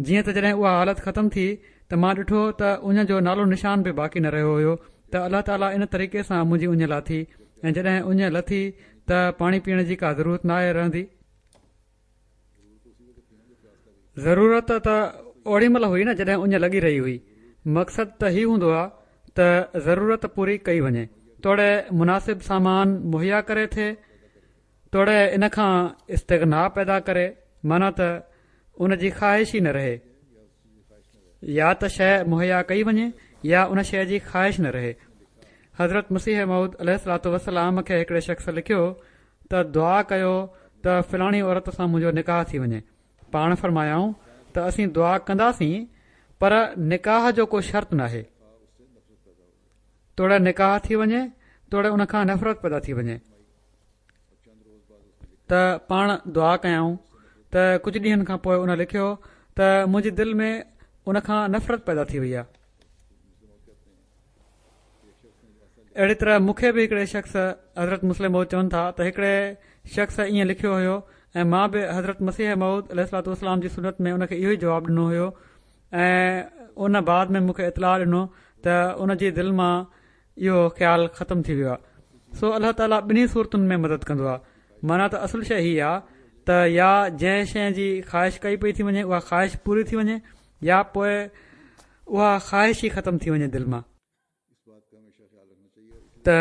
جيئن ته جڏهن اها حالت ختم ٿي ته مان ڏٺو ته اڃ جو نالو نشان به باقي نه رهيو هيو ته الله تعاليٰ ان طريقي سان منهنجي اڃ لاٿي ۽ جڏهن اڃ لٿي ته پاڻي پيئڻ جي ڪا ضرورت ناهي رهندي. ضرورت ته اوڏي مهل هئي نه جڏهن اڃ لڳي رهي هئي. مقصد ته هي هوندو آ ته ضرورت پوري ڪئي وڃي توڙي مناسب سامان مهيا ڪري ٿئي توڙي ان کان استغنا پيدا ڪري معنيٰ ته ان جي خواهش ئي نه رهي. يا ته شيء مهيا ڪئي وڃي يا ان شيء جي خواهش نه رهي. حضرت مسيح موعود عليه الصلوة والسلام کي هڪڙي شخص لکيو ته دعا ڪيو ته فلاڻي عورت سان منهنجو نڪاح ٿي وڃي. پاڻ فرمايائون ته اسين دعا ڪنداسين پر نڪاح جو ڪو شرط ناهي. توڙي نڪاح ٿي وڃي توڙي ان کان نفرت پيدا ٿي وڃي. ته پاڻ دعا ڪيائون ته ڪجهه ڏينهن کان پوء ان لکيو ته منهنجي دل ۾ ان کان نفرت پيدا ٿي وئي آهي. اهڙي طرح مون کي به هڪڙي شخص حضرت مصلح موعود چون ٿا ته هڪڙي شخص ائين لکيو هيو ۽ مان به حضرت مسيح موعود عليه الصلوة والسلام جي سنت ۾ ان کي اهو ئي جواب ڏنو هيو ۽ ان بعد ۾ مون کي اطلاع ڏنو ته ان جي دل مان اهو خيال ختم ٿي ويو آهي سو الله تعاليٰ ٻنهي صورتن ۾ مدد ڪندو آهي معنيٰ ته اصل شيء هي آهي ته يا جنهن شيء جي خواهش ڪئي پئي ٿي وڃي اها خواهش پوري ٿي وڃي يا پوء اها خواهش ئي ختم ٿي وڃي دل مان ته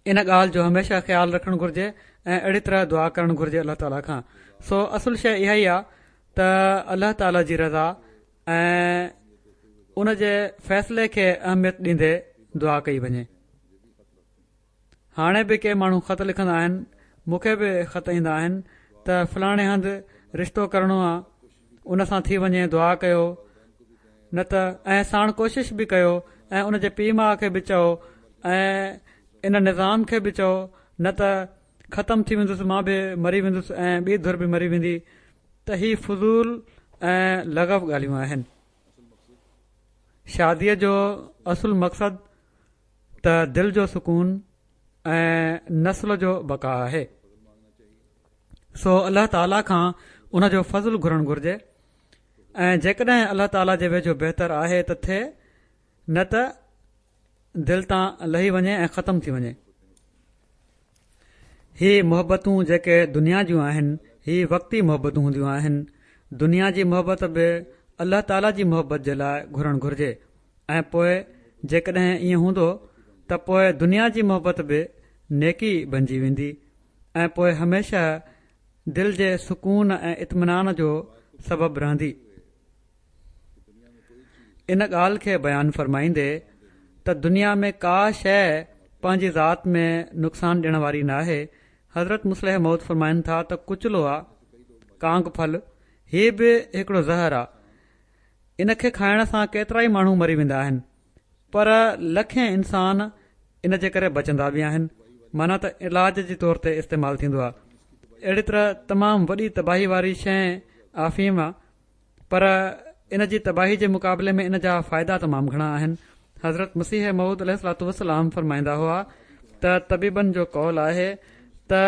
ان ڳالهه جو هميشه خيال رکڻ گهرجي ۽ اهڙي طرح دعا ڪرڻ گهرجي الله تعاليٰ کان سو اصل شيء اها ئي آهي ته الله تعاليٰ جي رضا ۽ ان جي فيصلي کي اهميت ڏيندي دعا ڪئي وڃي. هاڻي به ڪي ماڻهو خط لکندا آهن، مون کي به خط ايندا آهن ته فلاڻي هنڌ رشتو ڪرڻو آ ان سان ٿي وڃي دعا ڪيو نه ته ۽ ساڻ ڪوشش به ڪيو ۽ ان جي پيء ماء کي به چئو ۽ ان نظام کي به چئو نه ته ختم ٿي ويندس مان به مري ويندس ۽ ٻي ڌر به مري ويندي ته هي فضول ۽ لغو ڳالهيون آهن. شاديء جو اصل مقصد ته دل جو سڪون ۽ نسل جو بقا آهي. سو الله تعاليٰ کان ان جو فضل گهرڻ گهرجي ۽ جيڪڏهن الله تعاليٰ جي ويجهو بهتر آهي ته ٿئي نه ته دل تان لهي وڃي ۽ ختم ٿي وڃي. هي محبتون جيڪي دنيا جون آهن هي وقتي محبتون هونديون آهن دنيا جي محبت به الله تعالي جي محبت جي لاء گهرڻ گهرجي ۽ پوء جيڪڏهن ائين هوندو ته پوء دنيا جي محبت به نيڪي بنجي ويندي ۽ پوء هميشه دل جي سڪون ۽ اطمينان جو سبب رهندي. ان ڳالهه کي بيان فرمائيندي ته دنيا ۾ ڪا شيء پنهنجي ذات ۾ نقصان ڏيڻ واري ناهي، حضرت مصلح موعود فرمائن ٿا ته ڪچلو آ، ڪانگ ڦل، هي به هڪڙو زهر آ، ان کي کائڻ سان ڪيترائي ماڻهو مري ويندا آهن، پر لکين انسان ان جي ڪري بچندا به آهن، معنيٰ ته علاج جي طور تي استعمال ٿيندو آ. اهڙي طرح تمام وڏي تباهي واري شيء آفيم آ. پر ان جي تباهي جي مقابلي ۾ ان جا فائدا تمام گهڻا آهن. حضرت مسيح موعود عليه الصلوة والسلام فرمائيندا هئا ته طبيبن جو قول آهي ته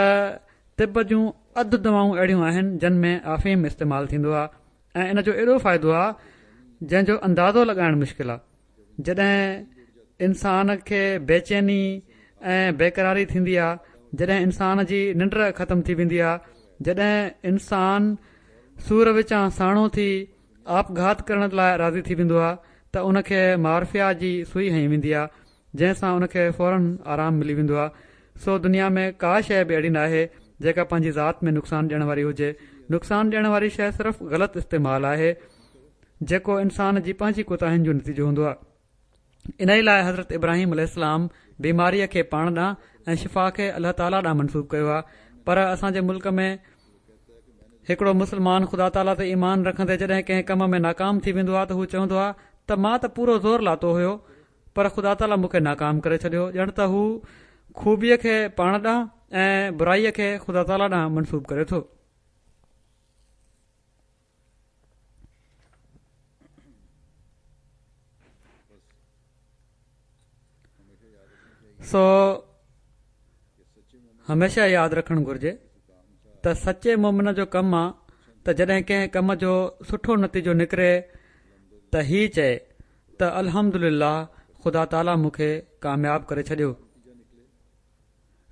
طب جون اڌ دوائون اهڙيون آهن جن ۾ آفيم استعمال ٿيندو آهي ۽ ان جو ايڏو فائدو آهي جنهن جو اندازو لڳائڻ مشڪل آهي. جڏهن انسان کي بيچيني ۽ بيقراري ٿيندي آ، جڏهن انسان جي ننڊ ختم ٿي ويندي آ، جڏهن انسان سور وچان ساڻو ٿي آپگهات ڪرڻ لاء راضي ٿي ويندو آ ته ان کي مارفيا جي سوئي هنئي ويندي آ، جنهن سان ان کي فورن آرام ملي ويندو آ. سو دنيا ۾ ڪا شيء به اهڙي ناهي جيڪا پنهنجي ذات ۾ نقصان ڏيڻ واري هجي. نقصان ڏيڻ واري شيء صرف غلط استعمال آهي. جيڪو انسان جي پنهنجي ڪوتاهين جو نتيجو هوندو آهي. انهيء لاء حضرت ابراهيم عليه السلام بيماريء کي پاڻ ڏانهن ۽ شفا کي الله تعاليٰ ڏانهن منسوب ڪيو آهي پر اسان جي ملڪ ۾ هڪڙو مسلمان خدا تعاليٰ تي ايمان رکندي جڏهن ڪنهن ڪم ۾ ناڪام ٿي ويندو آهي ته هو چوندو آهي ته مان ته پورو زور لاتو هيو پر خدا تعاليٰ مون کي ناڪام ڪري ڇڏيو ڄڻ ته هو خوبيء کي پاڻ ڏانهن ۽ برائيء کي خدا تعاليٰ ڏانهن منسوب ڪري ٿو. سو هميشه ياد رکڻ گهرجي ته سچي مومن جو ڪم آ ته جڏهن ڪنهن ڪم جو سٺو نتيجو نڪري ته هي چئي ته الحمدلله خدا تعاليٰ مون کي ڪامياب ڪري ڇڏيو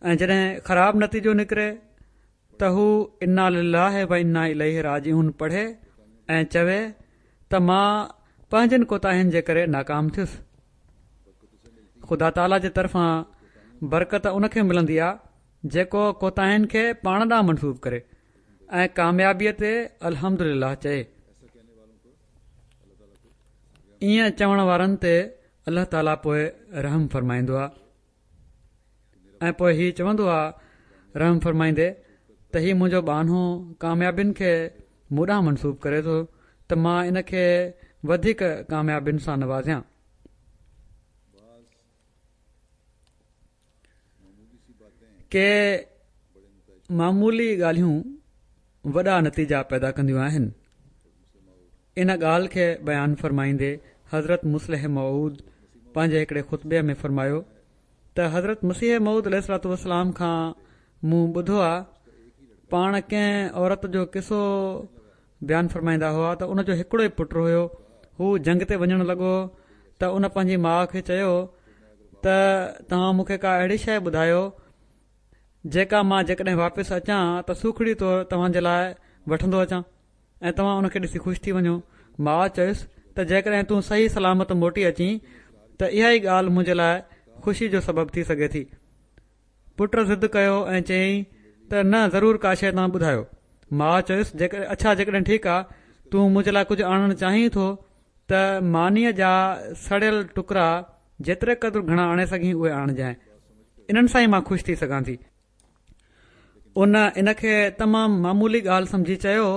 ۽ جڏهن خراب نتيجو نڪري ته هو انا لله و انا اليه راجعون پڙهي ۽ چوي ته مان پنهنجن ڪوتاهين جي ڪري ناڪام ٿيس. خدا تعاليٰ جي طرفان برڪت ان کي ملندي آ جيڪو ڪوتاهين کي پاڻ ڏانهن منسوب ڪري ۽ ڪاميابيء تي الحمدلله چئي. ائين چوڻ وارن تي الله تعاليٰ پوء رحم فرمائيندو آ. ۽ پوء هي چوندو آ رحم فرمائيندي ته هي منهنجو ٻانهو ڪاميابين کي مون ڏانهن منسوب ڪري ٿو ته مان ان کي وڌيڪ ڪاميابين سان نوازيان. ڪي معمولي ڳالهيون وڏا نتيجا پيدا ڪنديون آهن. ان ڳالهه کي بيان فرمائيندي حضرت مصلح موعود پنهنجي هڪڙي خطبي ۾ فرمايو ته حضرت مسيح موعود عليه الصلوة والسلام کان مون ٻڌو آ پاڻ ڪنهن عورت جو قصو بيان فرمائيندا هئا ته ان جو هڪڙو ئي پٽ هيو هو جنگ تي وڃڻ لڳو ته ان پنهنجي ماء کي چيو ته توهان مون کي ڪا اهڙي شيء ٻڌايو جيڪا مان جيڪڏهن واپس اچان ته سوکڙي طور توهان جي لاء وٺندو اچان ۽ توهان ان کي ڏسي خوش ٿي وڃو. ماء چيس ته جيڪڏهن تون صحيح سلامت موٽي اچين ته اها ئي ڳالهه منهنجي لاء خوشي جو سبب ٿي سگهي ٿي. پٽ ضد ڪيو ۽ چيائين ته نه ضرور ڪا شيء توهان ٻڌايو. ماء چيس اڇا جيڪڏهن ٺيڪ آ تون منهنجي لاء ڪجهه آڻڻ چاهين ٿو ته مانيء جا سڙيل ٽڪرا جيتري قدر گهڻا آڻي سگهين اهي آڻجانء. انهن سان ئي مان خوش ٿي سگهان ٿي. ان ان کي تمام معمولي ڳالهه سمجهي چيو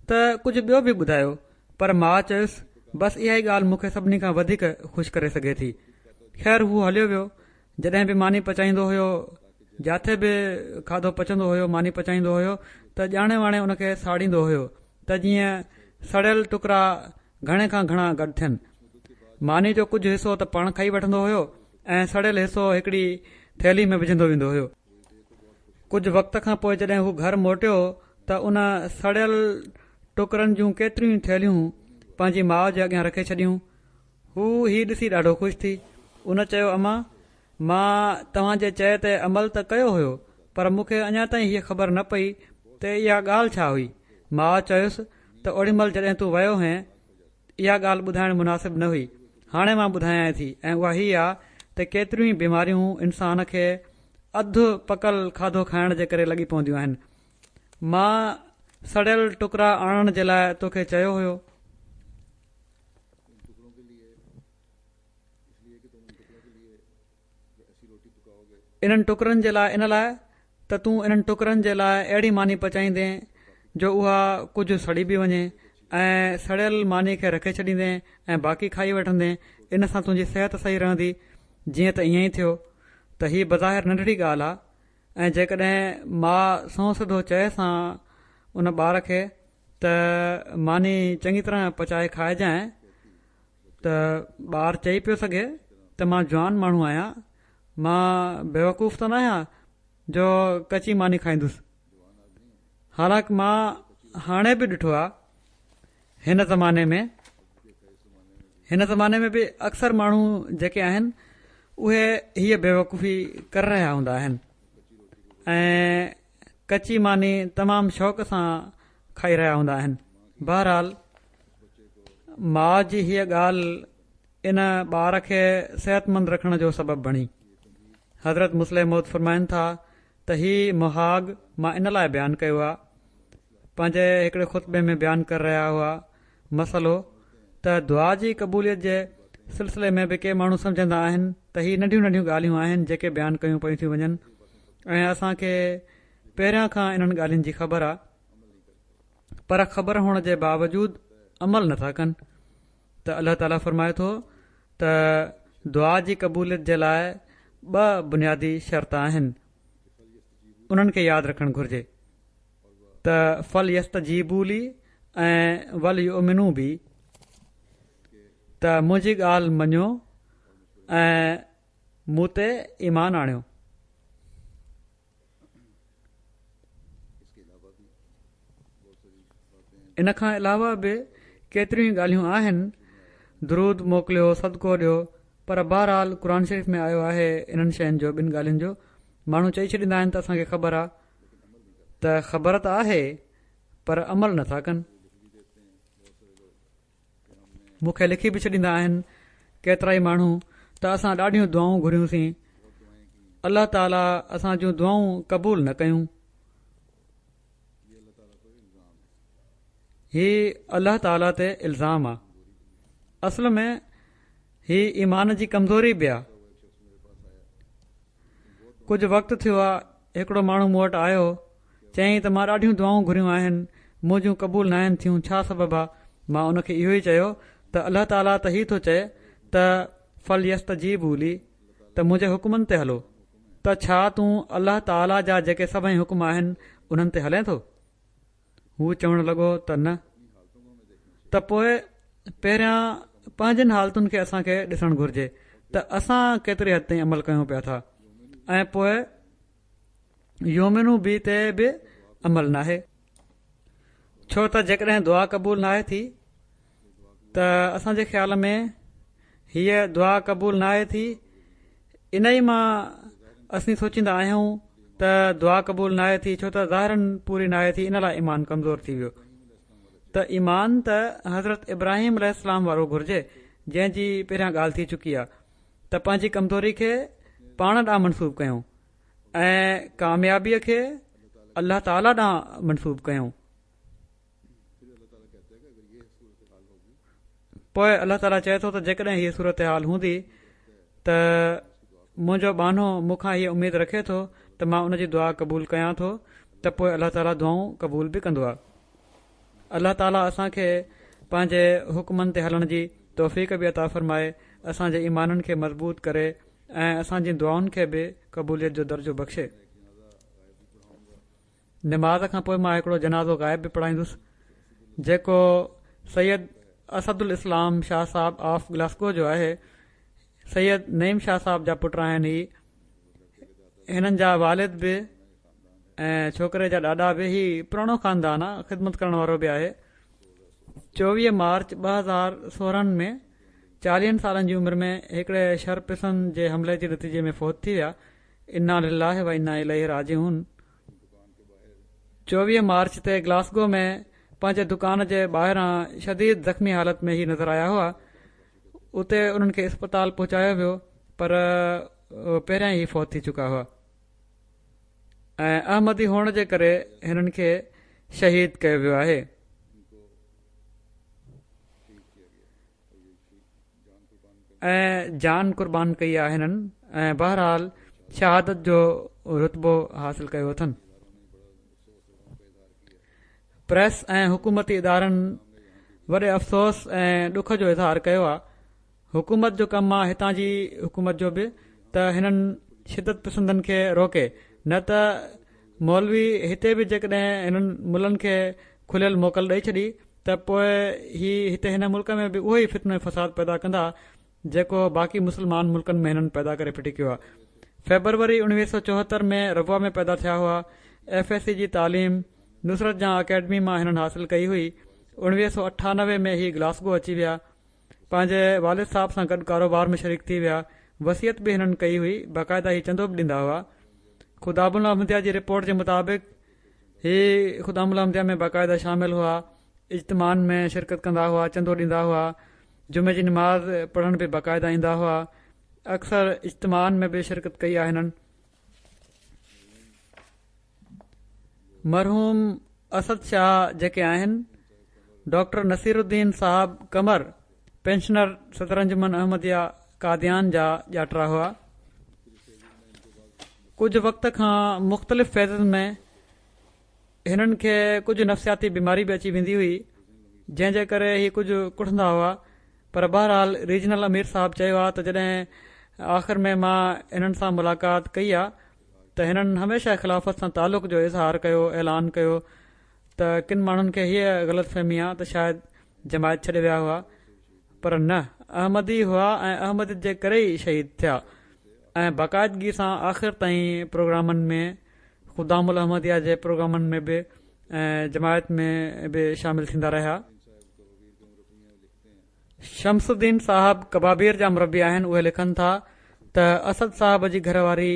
ته ڪجهه ٻيو به ٻڌايو پر ماء چيس بس اها ئي ڳالهه مون کي سڀني کان وڌيڪ خوش ڪري سگهي ٿي. خير هو هليو ويو. جڏهن به ماني پچائيندو هيو جاٿي به کاڌو پچندو هيو ماني پچائيندو هيو ته ڄاڻي واڻي ان کي ساڙيندو هيو ته جيئن سڙيل ٽڪرا گهڻي کان گهڻا گڏ ٿين. ماني جو ڪجهه حصو ته پاڻ کائي وٺندو هيو ۽ سڙيل حصو هڪڙي ٿيلهي ۾ وجهندو ويندو هيو. ڪجهه وقت کان پوء جڏهن هو گهر موٽيو ته ان سڙيل ٽڪرن جون ڪيتريون ئي ٿيلهيون پنهنجي ماء جي اڳيان رکي ڇڏيون. هو هي ڏسي ڏاڍو خوش ٿي. ان چيو امان! مان توهان جي چئي تي عمل ته ڪيو هيو پر مون کي اڃا تائين هيء خبر نه پئي ته اها ڳالهه ڇا هئي. ماء چيس ته اوڏي مهل جڏهن تون ويو هئين اها ڳالهه ٻڌائڻ مناسب نه هئي. هاڻي مان ٻڌايانء ٿي ۽ اها هي آ ته ڪيتريون ئي بيماريون انسان کي اڌ پڪل کاڌو کائڻ جي ڪري لڳي پونديون آهن. مان سڙيل ٽڪرا آڻڻ جي لاء توکي چيو هيو. انهن ٽڪرن جي لاء ان لاء ته تون انهن ٽڪرن جي لاء اهڙي ماني پچائيندين جو اها ڪجهه سڙي به وڃي ۽ سڙيل ماني کي رکي ڇڏيندين ۽ باقي کائي وٺندين ان سان تنهنجي صحت صحيح رهندي جيئن ته ائين ئي ٿيو ته هي بظاهر ننڍڙي ڳالهه آ ۽ جيڪڏهن ماء سنئون سڌو چئيس ها ان ٻار کي ته ماني چڱي طرح پچائي کائجانء ته ٻار چئي پيو سگهي ته مان جوان ماڻهو آهيان، مان بيوقوف ته ناهيان جو ڪچي ماني کائيندس. حالانڪ مان هاڻي به ڏٺو آهي هن زماني ۾ هن زماني ۾ به اڪثر ماڻهو جيڪي آهن اهي هيء بيوقوفي ڪري رهيا هوندا آهن ۽ ڪچي ماني تمام شوق سان کائي رهيا هوندا آهن. بهرحال ماء جي هيء ڳالهه ان ٻار کي صحتمند رکڻ جو سبب بڻي. حضرت مصلح موعود فرمائن ٿا ته هي مهاڳ مان ان لاء بيان ڪيو آ، پنهنجي هڪڙي خطبي ۾ بيان ڪري رهيا هئا مسئلو ته دعا جي قبوليت جي سلسلي ۾ به ڪي ماڻهو سمجهندا آهن ته هي ننڍيون ننڍيون ڳالهيون آهن جيڪي بيان ڪيون پيون ٿيون وڃن ۽ اسان کي پهريان کان انهن ڳالهين جي خبر آ پر خبر هئڻ جي باوجود عمل نٿا ڪن ته الله تعالي فرمائي ٿو ته دعا جي قبوليت جي لاء ٻه بنيادي شرط آهن. انهن کي ياد رکڻ گهرجي ته فليستجيبوا لي ۽ وليؤمنوا بي ته منهنجي ڳالهه مڃو ۽ مون تي ايمان آڻيو. ان کان علاوه به ڪيتريون ئي ڳالهيون آهن، درود موڪليو، صدقو ڏيو، پر بهرحال قرآن شريف ۾ آيو آهي انهن شين جو ٻن ڳالهين جو ماڻهو چئي ڇڏيندا آهن ته اسان کي خبر آ ته خبر ته آهي پر عمل نٿا ڪن. مون کي لکي به ڇڏيندا آهن ڪيترائي ماڻهو ته اسان ڏاڍيون دعائون گهريون سين الله تعالي اسان جون دعائون قبول نه ڪيون هي الله تعالي تي الزام آ اصل ۾ هي ايمان جي ڪمزوري به آ ڪجهه وقت ٿيو آ هڪڙو ماڻهو مون وٽ آيو چيائين ته مان ڏاڍيون دعائون گهريون آهن منهنجون قبول ناهن ٿيون ڇا سبب آ؟ مان ان کي اهو ئي چيو ته الله تعالي ته هي ٿو چئي ته فليستجيبوا لي ته منهنجي حڪمن تي هلو ته ڇا تون الله تعالي جا جيڪي سڀئي حڪم آهن انهن تي هلين ٿو؟ هو چوڻ لڳو ته نه ته پوء پهريان پنهنجين حالتن کي اسان کي ڏسڻ گهرجي ته اسان ڪيتري حد تائين عمل ڪيون پيا ٿا ۽ پوء يؤمنوا بي تي به عمل ناهي ڇو ته جيڪڏهن دعا قبول ناهي ٿي ته اسان جي خيال ۾ هيء دعا قبول ناهي ٿي انهي مان اسين سوچيندا آهيون ته دعا قبول ناهي ٿي ڇو ته ظاهراً پوري ناهي ٿي ان لاء ايمان ڪمزور ٿي ويو ته ايمان ته حضرت ابراهيم عليه السلام وارو گهرجي جنهن جي پهريان ڳالهه ٿي چڪي آهي ته پنهنجي ڪمزوري کي پاڻ ڏانهن منسوب ڪيون ۽ ڪاميابيء کي الله تعاليٰ ڏانهن منسوب ڪيون پوء الله تعاليٰ چئي ٿو ته جيڪڏهن هيء صورتحال هوندي ته منهنجو ٻانهو مون کان هيء اميد رکي ٿو ته مان ان جي دعا قبول ڪيان ٿو ته پوء الله تعاليٰ دعائون قبول به ڪندو آهي. الله تعاليٰ اسان کي پنهنجي حڪمن تي هلڻ جي توفيق به عطا فرمائي، اسان جي ايمانن کي مضبوط ڪري ۽ اسان جي دعائن کي به قبوليت جو درجو بخشي. نماز کان پوء مان هڪڙو جنازو غائب به پڙهائيندس جيڪو سيد اسد الاسلام شاهه صاحب آف گلاسگو جو آهي سيد نعيم شاهه صاحب جا پٽ آهن هي هنن جا والد به ۽ ڇوڪري جا ڏاڏا به هي پراڻو خاندان آ خدمت ڪرڻ وارو به آهي 24 مارچ 2016 ۾ چاليهن سالن جي عمر ۾ هڪڙي شرپسند جي حملي جي نتيجي ۾ فوت ٿي ويا انا لله و انا اليه راجعون 24 مارچ تي گلاسگو ۾ پنهنجي دڪان جي ٻاهران شديد زخمي حالت ۾ هي نظر آيا هئا اتي انهن کي اسپتال پهچايو ويو پر پهريان ئي فوت ٿي چڪا هئا ۽ احمدي هئڻ جي ڪري هنن کي شهيد ڪيو ويو آهي. ۽ جان قربان ڪئي آهي هنن ۽ بهرحال شهادت جو رتبو حاصل ڪيو اٿن. پريس ۽ حڪومتي ادارن وڏي افسوس ۽ ڏک جو اظهار ڪيو آهي. حڪومت جو ڪم آهي هتان جي حڪومت جو به ته هنن شدت پسندن کي روڪي نه ته مولوي هتي به جيڪڏهن هنن ملن کي کليل موڪل ڏئي ڇڏي ته پوء هي هتي هن ملڪ ۾ به اهو ئي فتنو ۽ فساد پيدا ڪندا جيڪو باقي مسلمان ملڪن ۾ هنن پيدا ڪري ڦٽي ڪيو آهي. فيبروري 1974 ۾ ربوه ۾ پيدا ٿيا هئا. ايف ايس سي جي تعليم نصرت جهان اڪيڊمي مان هنن حاصل ڪئي هئي. 1998 ۾ هي گلاسگو اچي ويا. پنهنجي والد صاحب سان گڏ ڪاروبار ۾ شريڪ ٿي ويا. وصيت به هنن ڪئي هئي. باقاعده هي چندو به ڏيندا هئا. خدام الاحمديه جي رپورٽ جي مطابق هي خدام الاحمديه ۾ باقاعده شامل هئا، اجتماعن ۾ شرڪت ڪندا هئا، چندو ڏيندا هئا، جمعي جي نماز پڙهڻ به باقاعده ايندا هئا، اڪثر اجتماعن ۾ به شرڪت ڪئي آهي هنن. مرحوم اسد شاهه جيڪي آهن، ڊاڪٽر نصير الدين صاحب قمر پينشنر صدر انجمن احمديه قاديان جا ڄاٽرا هئا. ڪجهه وقت کان مختلف فيزز ۾ هنن کي ڪجهه نفسياتي بيماري به اچي ويندي هئي جنهن جي ڪري هي ڪجهه ڪڙهندا هئا پر بهرحال ريجنل امير صاحب چيو آهي ته جڏهن آخر ۾ مان هنن سان ملاقات ڪئي آهي. ته هنن هميشه خلافت سان تعلق جو اظهار ڪيو، اعلان ڪيو ته ڪن ماڻهن کي هيء غلط فهمي آ ته شايد جماعت ڇڏي ويا هئا پر نه احمدي هئا ۽ احمديت جي ڪري ئي شهيد ٿيا ۽ باقاعدگي سان آخر تائين پروگرامن ۾ خدام الاحمديه جي پروگرامن ۾ به ۽ جماعت ۾ به شامل ٿيندا رهيا. شمس الدين صاحب ڪبابير جا مربي آهن اهي لکن ٿا ته اسد صاحب جي گهر واري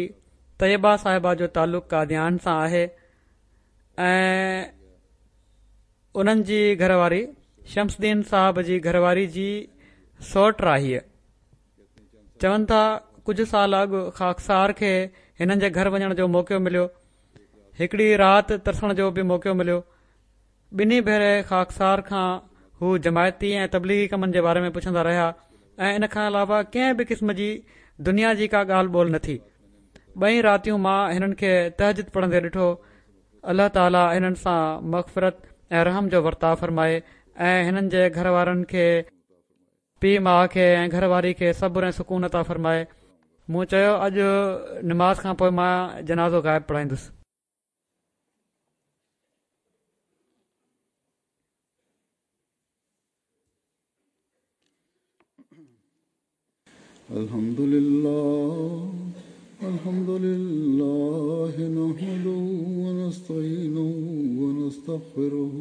طيبه صاحبه جو تعلق قاديان سان آهي ۽ انهن جي گهر واري شمس الدين صاحب جي گهر واري جي سئوٽ آهي. چون ٿا ڪجهه سال اڳ خاڪسار کي هنن جي گهر وڃڻ جو موقعو مليو. هڪڙي رات ترسڻ جو به موقعو مليو. ٻنهي ڀيري خاڪسار کان هو جماعتي ۽ تبليغي ڪمن جي باري ۾ پڇندا رهيا ۽ ان کان علاوه ڪنهن به قسم جي دنيا جي ڪا ڳالهه ٻولهه نه ٿي. ٻئي راتيون مان هنن کي تهجد پڙهندي ڏٺو. الله تعالي هنن سان مغفرت ۽ رحم جو ورتاء فرمائي ۽ هنن جي گهر وارن کي، پيء ماء کي ۽ گهر واري کي صبر ۽ سڪون عطا فرمائي. مون چيو اڄ نماز کان پوء مان جنازو غائب پڙهائيندس. الحمد لله الحمد لله نحمده ونستعينه ونستغفره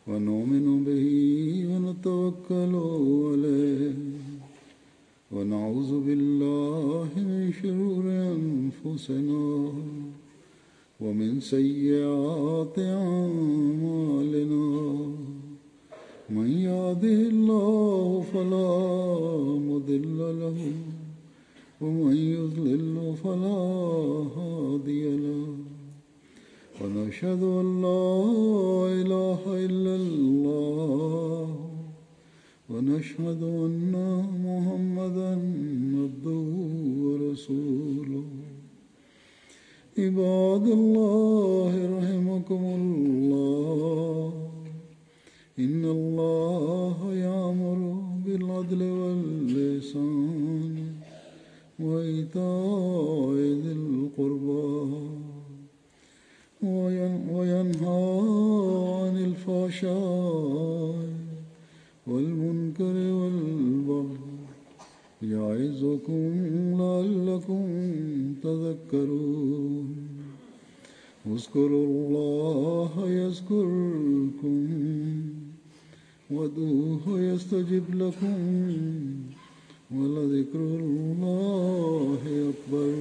ونؤمن به ونتوكل عليه ونعوذ بالله من شرور أنفسنا ومن سيئات أعمالنا من يهده الله فلا مضل له ومن يضلل فلا هادي له ونشهد أن لا إله إلا الله ونشهد أن محمدا عبده ورسوله عباد الله رحمكم الله إن الله يأمر بالعدل واللسان وإيتاء ذي القربى وينهى عن الفحشاء والمنكر والبغي يعظكم لعلكم تذكرون اذكروا الله يذكركم وادعوه يستجب لكم ولذكر الله أكبر.